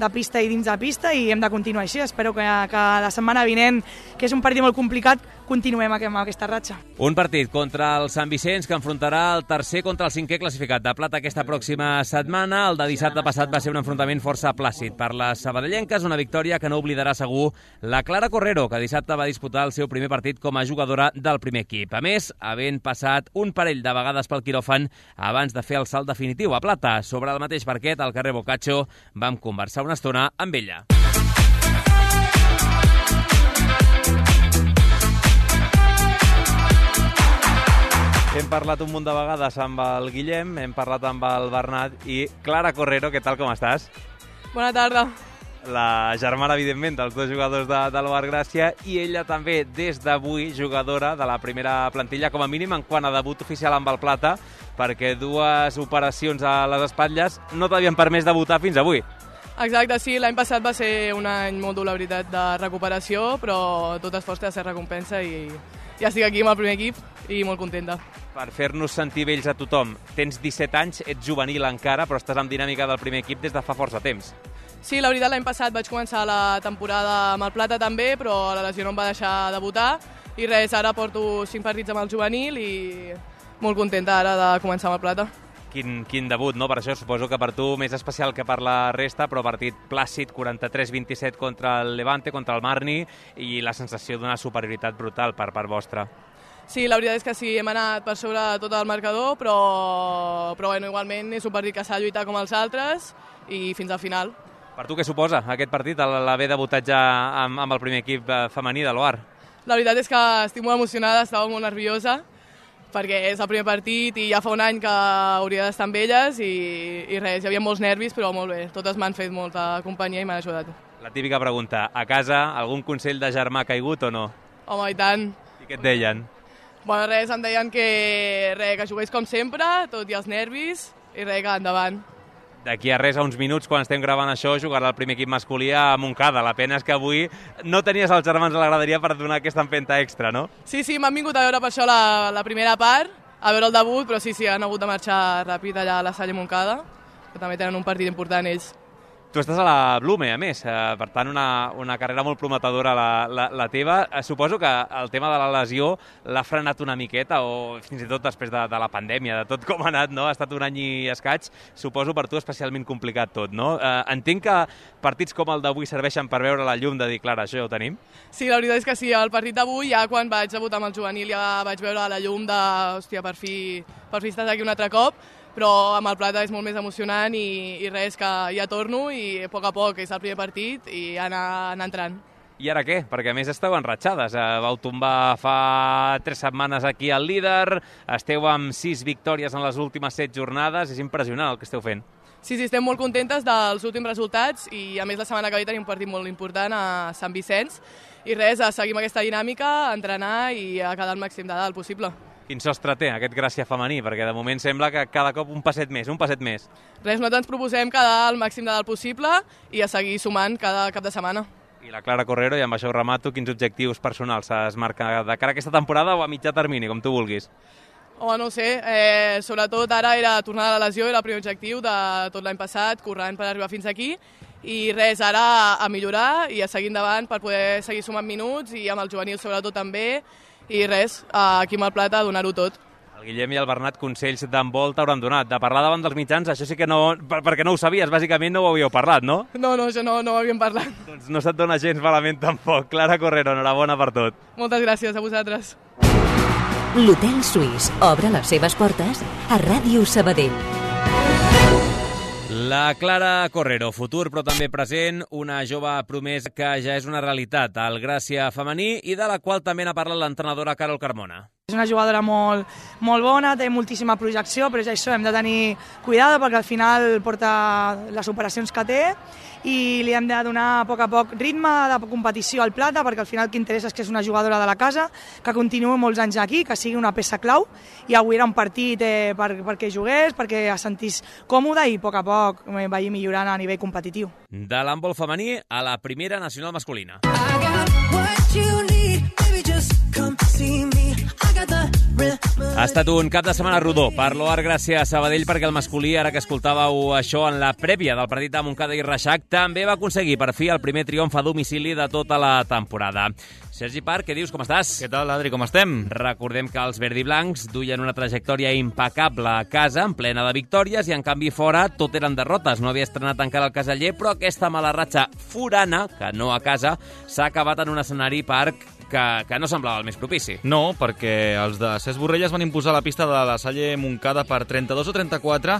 de pista i dins de pista i hem de continuar així. Espero que, que la setmana vinent, que és un partit molt complicat, continuem amb aquesta ratxa. Un partit contra el Sant Vicenç que enfrontarà el tercer contra el cinquè classificat de plata aquesta pròxima setmana. El de dissabte passat va ser un enfrontament força plàcid per les sabadellenques, una victòria que no oblidarà segur la Clara Correro, que dissabte va disputar el seu primer partit com a jugadora del primer equip. A més, havent passat un parell de vegades pel quiròfan abans de fer el salt definitiu a plata. Sobre el mateix parquet, al carrer Boccaccio, vam conversar una estona amb ella. Hem parlat un munt de vegades amb el Guillem, hem parlat amb el Bernat i Clara Correro, què tal, com estàs? Bona tarda. La germana, evidentment, dels dos jugadors de, de l'O A R Gràcia i ella també, des d'avui, jugadora de la primera plantilla, com a mínim en quant a debut oficial amb el plata, perquè dues operacions a les espatlles no t'havien permès debutar fins avui. Exacte, sí, l'any passat va ser un any molt dur, la veritat, de recuperació, però tot esforç té de ser recompensa i ja estic aquí amb el primer equip i molt contenta. Per fer-nos sentir vells a tothom, tens disset anys, ets juvenil encara, però estàs en dinàmica del primer equip des de fa força temps. Sí, la veritat, l'any passat vaig començar la temporada amb el plata també, però la lesió no em va deixar debutar i res, ara porto cinc partits amb el juvenil i molt contenta ara de començar amb el plata. Quin, quin debut, no? Per això suposo que per tu més especial que per la resta, però partit plàcid, quaranta-tres a vint-i-set contra el Levante, contra el Marni, i la sensació d'una superioritat brutal per part vostra. Sí, la veritat és que sí, hem anat per sobre de tot el marcador, però, però bueno, igualment és un partit que s'ha de lluitar com els altres i fins al final. Per tu què suposa aquest partit, l'haver debutat ja amb, amb el primer equip femení de l'O A R? La veritat és que estic molt emocionada, estava molt nerviosa, perquè és el primer partit i ja fa un any que hauria d'estar amb elles i, i res, hi havia molts nervis, però molt bé, totes m'han fet molta companyia i m'han ajudat. La típica pregunta, a casa algun consell de germà caigut o no? Home, i tant. I què et deien? Bueno, res, em deien que, res, que jugués com sempre, tot i els nervis, i res, que endavant. D'aquí a res, a uns minuts, quan estem gravant això, jugarà el primer equip masculí a Montcada. La pena és que avui no tenies els germans a la graderia per donar aquesta empenta extra, no? Sí, sí, m'han vingut a veure per això la, la primera part, a veure el debut, però sí, sí, han hagut de marxar ràpid allà a la Salle Montcada, que també tenen un partit important ells. Tu estàs a la Blume, a més, per tant una, una carrera molt prometedora la, la, la teva. Suposo que el tema de la lesió l'ha frenat una miqueta, o fins i tot després de, de la pandèmia, de tot com ha anat, no? Ha estat un any i escaig, suposo per tu especialment complicat tot, no? Eh, entenc que partits com el d'avui serveixen per veure la llum de dir, clar, això ja ho tenim? Sí, la veritat és que sí, el partit d'avui, ja quan vaig debutar amb el juvenil, ja vaig veure la llum de, hòstia, per fi, per fi estàs aquí un altre cop, però amb el plata és molt més emocionant i, i res, que ja torno i a poc a poc és el primer partit i anar, anar entrant. I ara què? Perquè a més esteu enratxades. Vau tombar fa tres setmanes aquí al líder, esteu amb sis victòries en les últimes set jornades, és impressionant el que esteu fent. Sí, sí, estem molt contentes dels últims resultats i a més la setmana que ve tenim un partit molt important a Sant Vicenç i res, a seguir amb aquesta dinàmica, a entrenar i a quedar el màxim de dalt possible. Quin sostre té aquest Gràcia femení? Perquè de moment sembla que cada cop un passet més, un passet més. Res, nosaltres ens proposem quedar el màxim de dalt possible i a seguir sumant cada cap de setmana. I la Clara Correro, i amb això ho remato, quins objectius personals es marca de cara a aquesta temporada o a mitjà termini, com tu vulguis? Home, no ho sé, eh, sobretot ara era tornar a la lesió, era el primer objectiu de tot l'any passat, corrent per arribar fins aquí, i res, ara a millorar i a seguir endavant per poder seguir sumant minuts i amb el juvenil sobretot també, i res, aquí amb el Plata a donar-ho tot. El Guillem i el Bernat consells d'handbol t'hauran donat. De parlar davant dels mitjans, això sí que no... perquè no ho sabies, bàsicament no ho havíeu parlat, no? No, no, això no, no ho havíem parlat. Doncs no se't dona gens malament tampoc. Clara Correro, enhorabona per tot. Moltes gràcies a vosaltres. L'Hotel Suís obre les seves portes a Ràdio Sabadell. La Clara Correro, futur però també present, una jove promesa que ja és una realitat al Gràcia femení i de la qual també n'ha parlat l'entrenadora Carol Carmona. És una jugadora molt, molt bona, té moltíssima projecció, però ja això hem de tenir cuidado perquè al final porta les operacions que té i li hem de donar a poc a poc ritme de competició al Plata perquè al final el que interessa és que és una jugadora de la casa, que continuï molts anys aquí, que sigui una peça clau i avui era un partit eh, per, perquè jugués, perquè es sentís còmode i a poc a poc eh, vagi millorant a nivell competitiu. De l'handbol femení a la primera nacional masculina. Ha estat un cap de setmana rodó per l'O A R Gràcia Sabadell perquè el masculí, ara que escoltàveu això en la prèvia del partit de Montcada i Reixac, també va aconseguir per fi el primer triomf a domicili de tota la temporada. Sergi Parc, què dius? Com estàs? Què tal, Adri? Com estem? Recordem que els verdiblancs duien una trajectòria impecable a casa, en plena de victòries, i en canvi fora tot eren derrotes. No havia estrenat encara el Caseller, però aquesta mala ratxa forana, que no a casa, s'ha acabat en un escenari, Parc, que, que no semblava el més propici. No, perquè els de Cesc Borrelles van imposar la pista de la Salle Montcada per trenta-dos a trenta-quatre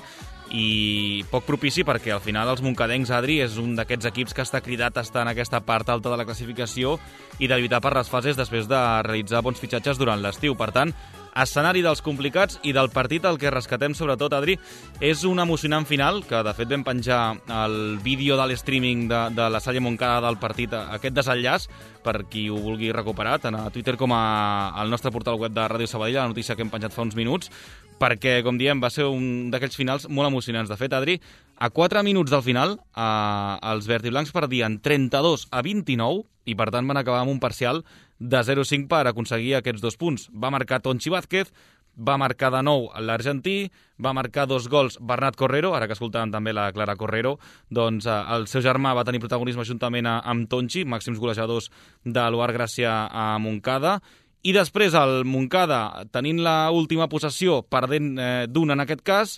i poc propici perquè al final els moncadencs, Adri, és un d'aquests equips que està cridat a estar en aquesta part alta de la classificació i de lluitar per les fases després de realitzar bons fitxatges durant l'estiu. Per tant, escenari dels complicats i del partit el que rescatem sobretot, Adri, és un emocionant final, que de fet vam penjar el vídeo de l'streaming de, de la Salle Montcada del partit, aquest desenllaç, per qui ho vulgui recuperar, tant a Twitter com a, al nostre portal web de Ràdio Sabadell, la notícia que hem penjat fa uns minuts, perquè, com diem, va ser un d'aquells finals molt emocionants. De fet, Adri, a quatre minuts del final, eh, els verdiblancs perdien trenta-dos a vint-i-nou i, per tant, van acabar amb un parcial de zero a cinc per aconseguir aquests dos punts. Va marcar Tonchi Vázquez, va marcar de nou l'argentí, va marcar dos gols Bernat Correro, ara que escoltàvem també la Clara Correro, doncs eh, el seu germà va tenir protagonisme juntament a, amb Tonchi, màxims golejadors de l'O A R Gràcia a Montcada, i després el Montcada, tenint l'última possessió, perdent eh, d'un en aquest cas,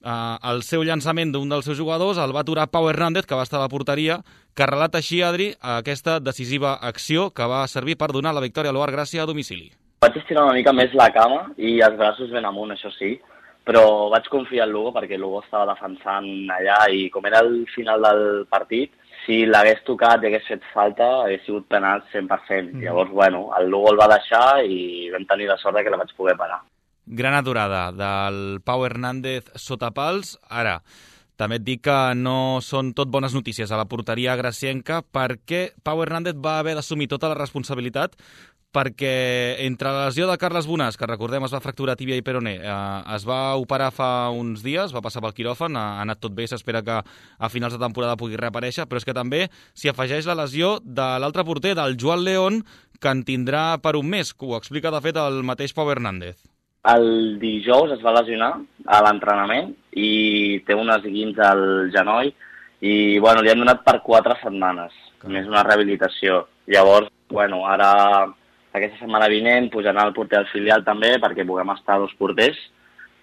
eh, el seu llançament d'un dels seus jugadors el va aturar Pau Hernández, que va estar a la porteria, que relata així, Adri, aquesta decisiva acció que va servir per donar la victòria a l'O A R Gràcia a domicili. Vaig estirar una mica més la cama i els braços ben amunt, això sí, però vaig confiar en Lugo perquè Lugo estava defensant allà i com era el final del partit, si l'hagués tocat i hagués fet falta, hagués sigut penal cent per cent. Mm. Llavors, bueno, el Lugo el va deixar i vam tenir la sort que la vaig poder parar. Gran aturada del Pau Hernández sota pals. Ara, també et dic que no són tot bones notícies a la porteria gracienca perquè Pau Hernández va haver d'assumir tota la responsabilitat perquè entre la lesió de Carles Bonàs, que recordem es va fracturar tíbia i peroné, eh, es va operar fa uns dies, va passar pel quiròfan, ha, ha anat tot bé, s'espera que a finals de temporada pugui reaparèixer, però és que també s'hi afegeix la lesió de l'altre porter, del Joan León, que en tindrà per un mes, que ho explica de fet el mateix Pau Hernández. El dijous es va lesionar a l'entrenament i té unes guins al genoll i bueno, li han donat per quatre setmanes, més una rehabilitació. Llavors, bueno, ara aquesta setmana vinent pujarà el porter al filial també perquè puguem estar dos porters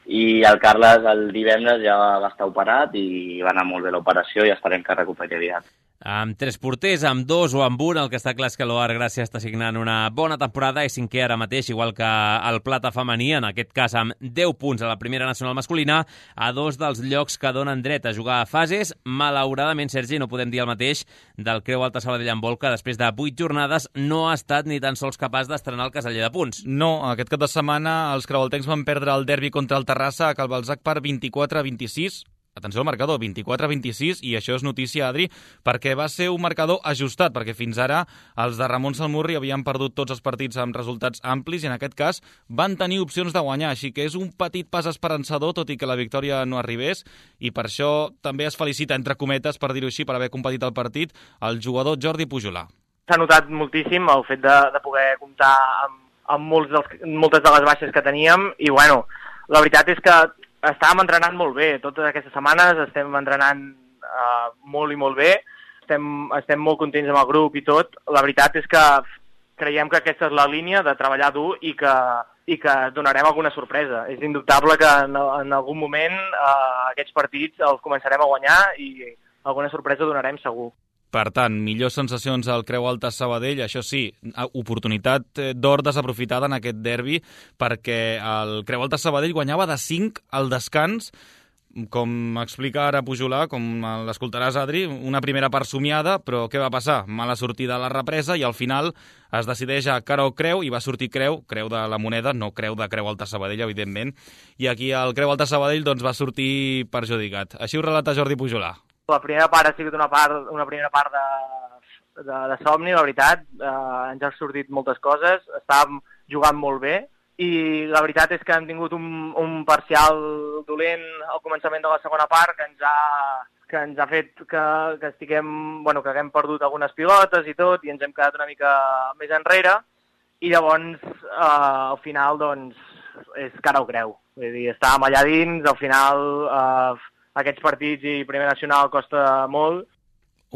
i el Carles el divendres ja va estar operat i va anar molt bé l'operació i esperem que recuperi aviat. Amb tres porters, amb dos o amb un, el que està clar és que l'O A R Gràcia està signant una bona temporada i cinquè ara mateix, igual que el Plata femení, en aquest cas amb deu punts a la primera nacional masculina, a dos dels llocs que donen dret a jugar a fases. Malauradament, Sergi, no podem dir el mateix del Creu Alta Sabadell Handbol, que després de vuit jornades no ha estat ni tan sols capaç d'estrenar el caseller de punts. No, aquest cap de setmana els creualtencs van perdre el derbi contra el Terrassa a Cal Balzac per vint-i-quatre a vint-i-sis. Atenció al marcador, vint-i-quatre a vint-i-sis, i això és notícia, Adri, perquè va ser un marcador ajustat, perquè fins ara els de Ramon Salmurri havien perdut tots els partits amb resultats amplis i en aquest cas van tenir opcions de guanyar, així que és un petit pas esperançador, tot i que la victòria no arribés, i per això també es felicita, entre cometes, per dir-ho així, per haver competit el partit, el jugador Jordi Pujolà. S'ha notat moltíssim el fet de, de poder comptar amb, amb molts dels, moltes de les baixes que teníem, i bueno, la veritat és que estàvem entrenant molt bé, totes aquestes setmanes estem entrenant uh, molt i molt bé estem, estem molt contents amb el grup i tot. La veritat és que creiem que aquesta és la línia de treballar dur i que, i que donarem alguna sorpresa. És indubtable que en, en algun moment eh, aquests partits els començarem a guanyar i alguna sorpresa donarem segur. Per tant, millors sensacions al Creu Alta Sabadell, això sí, oportunitat d'or desaprofitada en aquest derbi, perquè el Creu Alta Sabadell guanyava de cinc al descans, com explica ara Pujolà, com l'escoltaràs, Adri, una primera part somiada, però què va passar? Mala sortida a la represa i al final es decideix a cara o creu i va sortir creu, creu de la moneda, no creu de Creu Alta Sabadell, evidentment, i aquí el Creu Alta Sabadell doncs, va sortir perjudicat. Així ho relata Jordi Pujolà. La primera part ha sigut una, part, una primera part de, de, de somni, la veritat. Eh, ens ha sortit moltes coses, estàvem jugant molt bé i la veritat és que hem tingut un, un parcial dolent al començament de la segona part que ens ha, que ens ha fet que, que, estiguem, bueno, que haguem perdut algunes pilotes i tot i ens hem quedat una mica més enrere i llavors eh, al final doncs, és cara o creu. Vull dir, estàvem allà dins, al final... Eh, aquests partits i Primer Nacional costa molt.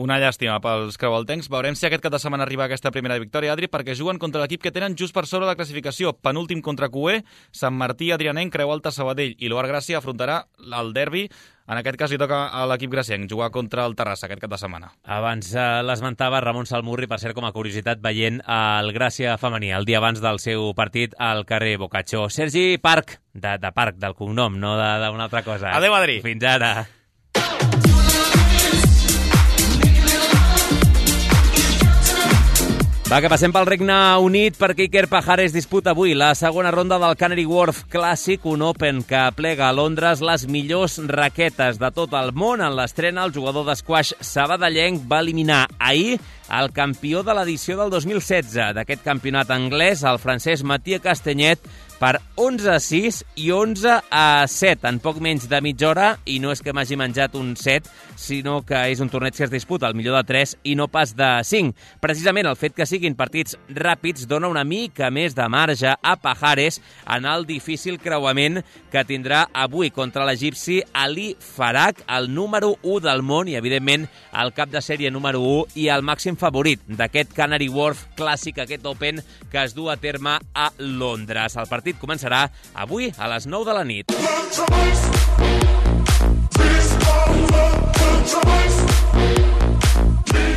Una llàstima pels creualtencs. Veurem si aquest cap de setmana arriba aquesta primera victòria, Adri, perquè juguen contra l'equip que tenen just per sobre la classificació. Penúltim contra Cué, Sant Martí, Adrianenc, Creu Alta, Sabadell. I l'Oar Gràcia afrontarà el derbi. En aquest cas li toca a l'equip gracienc jugar contra el Terrassa aquest cap de setmana. Abans eh, l'esmentava Ramon Salmurri, per cert, com a curiositat, veient el Gràcia femení, el dia abans del seu partit al carrer Boccaccio. Sergi Parc, de, de Parc, del cognom, no d'una altra cosa. Adéu, Adri. Fins ara. Va, que passem pel Regne Unit perquè Iker Pajares disputa avui la segona ronda del Canary Wharf Classic, un Open que plega a Londres les millors raquetes de tot el món. En l'estrena, el jugador d'esquaix sabadellenc va eliminar ahir el campió de l'edició del dos mil setze d'aquest campionat anglès, el francès Mathieu Castagnet, per onze a sis i onze a set en poc menys de mitja hora, i no és que m'hagi menjat un set, sinó que és un torneig que es disputa al millor de tres i no pas de cinc. Precisament el fet que siguin partits ràpids dona una mica més de marge a Pajares en el difícil creuament que tindrà avui contra l'egipci Ali Farag, el número u del món i, evidentment, el cap de sèrie número u i el màxim favorit d'aquest Canary Wharf Classic, aquest Open que es du a terme a Londres. El partit començarà avui a les nou de la nit.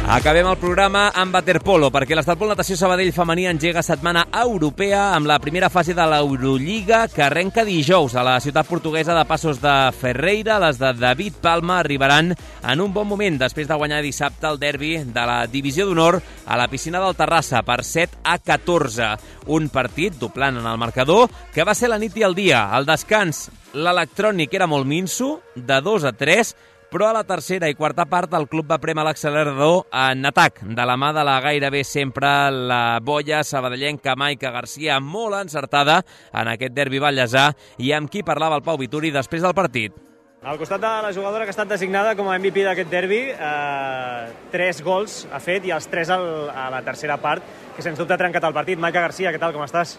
Acabem el programa amb waterpolo, perquè l'Estarpol Natació Sabadell femení engega setmana europea amb la primera fase de l'Eurolliga que arrenca dijous a la ciutat portuguesa de Passos de Ferreira. Les de David Palma arribaran en un bon moment després de guanyar dissabte el derbi de la Divisió d'Honor a la piscina del Terrassa per set a catorze. Un partit doblant en el marcador que va ser la nit i el dia. Al descans, l'electrònic era molt minso, de dos a tres, però a la tercera i quarta part el club va prémer l'accelerador en atac, de la mà de la gairebé sempre la boia sabadellenca Maica Garcia, molt encertada en aquest derbi ballesà, i amb qui parlava el Pau Vituri després del partit. Al costat de la jugadora que ha estat designada com a M V P d'aquest derbi, eh, tres gols ha fet i els tres al, a la tercera part, que sens dubte ha trencat el partit. Maica Garcia, què tal, com estàs?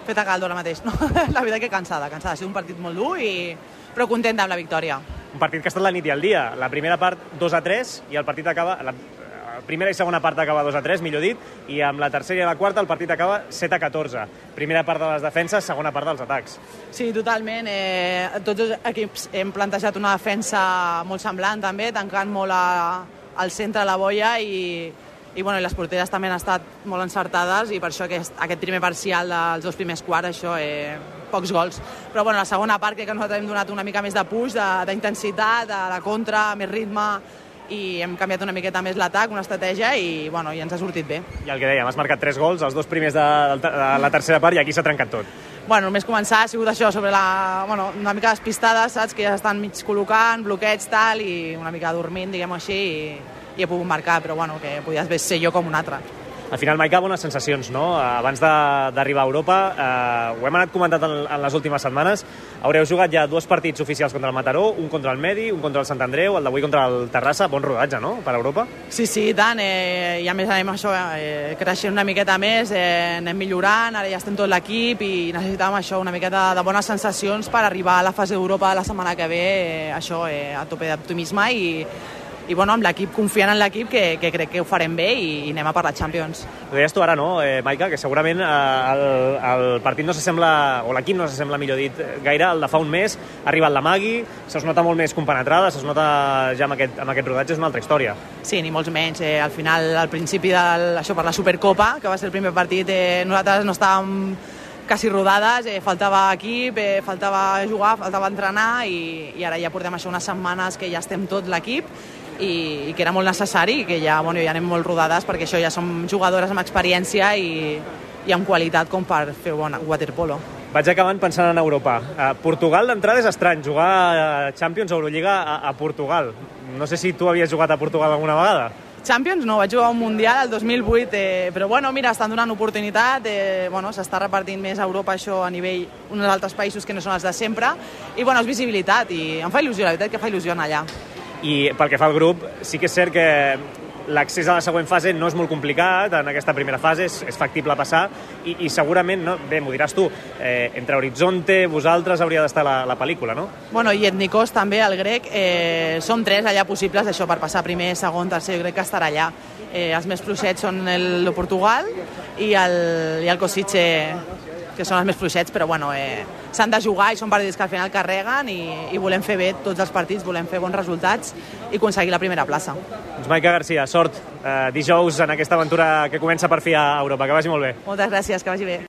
Feta caldo ara mateix, no? La veritat que cansada, cansada. Ha sigut un partit molt dur, i... però contenta amb la victòria. Un partit que ha estat la nit i el dia. La primera part dos a tres i el partit acaba... La primera i segona part acaba dos a tres, millor dit, i amb la tercera i la quarta el partit acaba set a catorze. Primera part de les defenses, segona part dels atacs. Sí, totalment. Eh, tots els equips hem plantejat una defensa molt semblant també, tancant molt a, al centre de la boia, i, i, bueno, i les porteres també han estat molt encertades, i per això aquest, aquest primer parcial dels dos primers quarts, això, eh, pocs gols. Però bueno, la segona part crec que nosaltres hem donat una mica més de push, d'intensitat, de, de la contra, més ritme, i hem canviat una miqueta més l'atac, una estratègia, i, bueno, i ens ha sortit bé. I el que dèiem, has marcat tres gols, els dos primers de, de, de la tercera part, i aquí s'ha trencat tot. Bueno, només començar ha sigut això, sobre la, bueno, una mica despistades, saps, que ja estan mig col·locant, bloqueig, tal, i una mica dormint, diguem-ho així, i, i he pogut marcar, però bueno, que podies ser jo com un altre. Al final, Maica, bones sensacions, no? Abans d'arribar a Europa, eh, ho hem anat comentant en, en les últimes setmanes, haureu jugat ja dos partits oficials contra el Mataró, un contra el Medi, un contra el Sant Andreu, el d'avui contra el Terrassa. Bon rodatge, no?, per Europa? Sí, sí, i tant, eh, i a més anem això, eh, creixent una miqueta més, eh, anem millorant, ara ja estem tot l'equip i necessitàvem això, una miqueta de bones sensacions per arribar a la fase d'Europa la setmana que ve, eh, això, eh, a tope d'optimisme, i i i bueno, amb l'equip, confiant en l'equip, que, que crec que ho farem bé i, i anem a per la Champions. Ho deies tu ara, no, eh, Maica, que segurament eh, el, el partit no s'assembla, o l'equip no s'assembla, millor dit, gaire al de fa un mes. Ha arribat la Magui, se'ls nota molt més compenetrada, se'ls nota ja amb aquest, amb aquest rodatge, és una altra història. Sí, ni molts menys. Eh, al final, al principi del, això per la Supercopa, que va ser el primer partit, eh, nosaltres no estàvem quasi rodades, eh, faltava equip, eh, faltava jugar, faltava entrenar i, i ara ja portem això unes setmanes que ja estem tot l'equip i, i que era molt necessari i que ja, bueno, ja anem molt rodades perquè això ja som jugadores amb experiència i, i amb qualitat com per fer bon waterpolo. Vaig acabant pensant en Europa. Uh, Portugal d'entrada és estrany, jugar a Champions o Eurolliga a, a Portugal. No sé si tu havies jugat a Portugal alguna vegada. Champions no, vaig jugar un Mundial el dos mil vuit, eh, però bueno, mira, estan donant oportunitat, eh, bueno, s'està repartint més a Europa això a nivell uns altres països que no són els de sempre, i bueno, és visibilitat, i em fa il·lusió, la veritat que fa il·lusió anar allà. I pel que fa al grup, sí que és cert que l'accés a la següent fase no és molt complicat, en aquesta primera fase és, és factible passar, i, i segurament, no, bé, m'ho diràs tu, eh, entre Horizonte, vosaltres hauria d'estar la, la pel·lícula, no? Bueno, i Etnikos també, el grec, eh, som tres allà possibles, això, per passar primer, segon, tercer, jo crec que estarà allà. Eh, els més fluixets són el, el Portugal i el, i el Kosice, que són els més fluixets, però bueno, eh, s'han de jugar i són partits que al final carreguen i, i volem fer bé tots els partits, volem fer bons resultats i aconseguir la primera plaça. Doncs Maica Garcia, sort eh, dijous en aquesta aventura que comença per fi a Europa. Que vagi molt bé. Moltes gràcies, que vagi bé.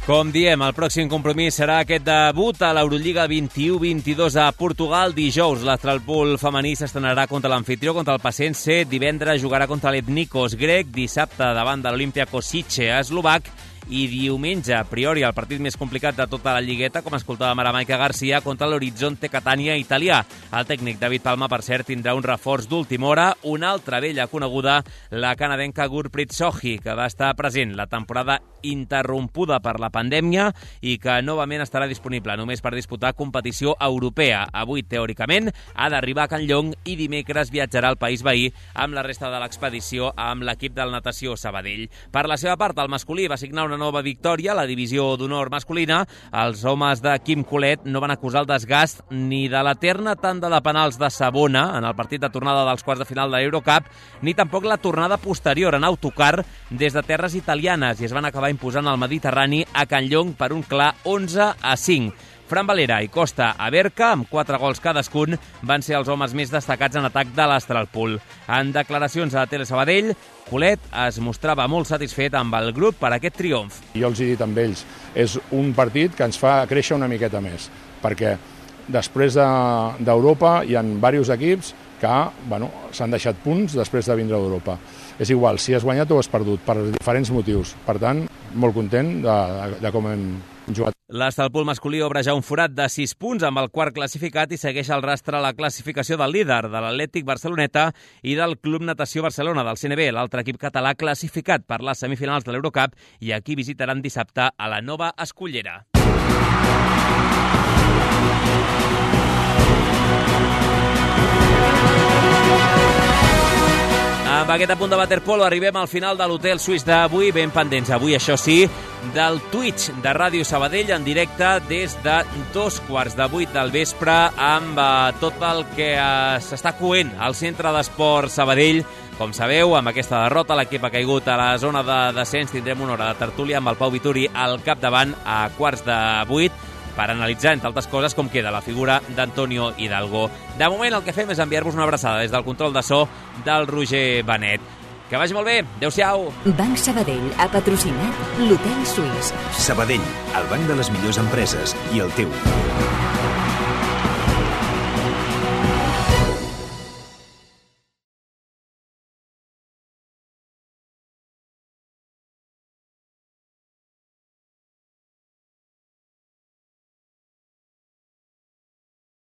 Com diem, el pròxim compromís serà aquest debut a l'Eurolliga vint-i-u vint-i-dos a Portugal. Dijous, l'Astralpool femení s'estrenarà contra l'anfitrió, contra el Pacense. Divendres jugarà contra l'Etnikos grec. Dissabte, davant de l'Olimpia Kosice eslovac. I diumenge, a priori, el partit més complicat de tota la lligueta, com escoltàvem ara Maica Garcia, contra l'Horizonte Catania italià. El tècnic David Palma, per cert, tindrà un reforç d'última hora, una altra vella coneguda, la canadenca Gurpreet Sohi, que va estar present la temporada interrompuda per la pandèmia i que novament estarà disponible només per disputar competició europea. Avui, teòricament, ha d'arribar a Can Llong i dimecres viatjarà al país veí amb la resta de l'expedició amb l'equip del Natació Sabadell. Per la seva part, el masculí va signar una nova victòria a la divisió d'honor masculina. Els homes de Quim Colet no van acusar el desgast ni de l'eterna tanda de penals de Sabona en el partit de tornada dels quarts de final de l'Eurocup, ni tampoc la tornada posterior en autocar des de terres italianes i es van acabar imposant el Mediterrani a Can Llong per un clar onze a cinc. Fran Valera i Costa Aberca, amb quatre gols cadascun, van ser els homes més destacats en atac de l'Astralpool. En declaracions a Tele Sabadell, Colet es mostrava molt satisfet amb el grup per aquest triomf. Jo els he dit amb ells, és un partit que ens fa créixer una miqueta més, perquè després d'Europa de, hi ha diversos equips que bueno, s'han deixat punts després de vindre d'Europa. És igual, si has guanyat o has perdut, per diferents motius. Per tant, molt content de, de, de com hem jugat. L'Astralpool masculí obre ja un forat de sis punts amb el quart classificat i segueix el rastre a la classificació del líder, de l'Atlètic Barceloneta i del Club Natació Barcelona, del C N B, l'altre equip català classificat per les semifinals de l'Eurocup i aquí visitaran dissabte a la Nova Escullera. Amb aquest apunt de waterpolo arribem al final de l'Hotel Suís d'avui, ben pendents avui, això sí, del Twitch de Ràdio Sabadell en directe des de dos quarts de vuit del vespre amb eh, tot el que eh, s'està coent al Centre d'Esport Sabadell. Com sabeu, amb aquesta derrota l'equip ha caigut a la zona de descens. Tindrem una hora de tertúlia amb el Pau Vituri al capdavant a quarts de vuit per analitzar, entre altres coses, com queda la figura d'Antonio Hidalgo. De moment, el que fem és enviar-vos una abraçada des del control de so del Roger Benet. Que vagi molt bé. Adéu-siau. Banc Sabadell ha patrocinat l'Hotel Suís. Sabadell, el banc de les millors empreses i el teu.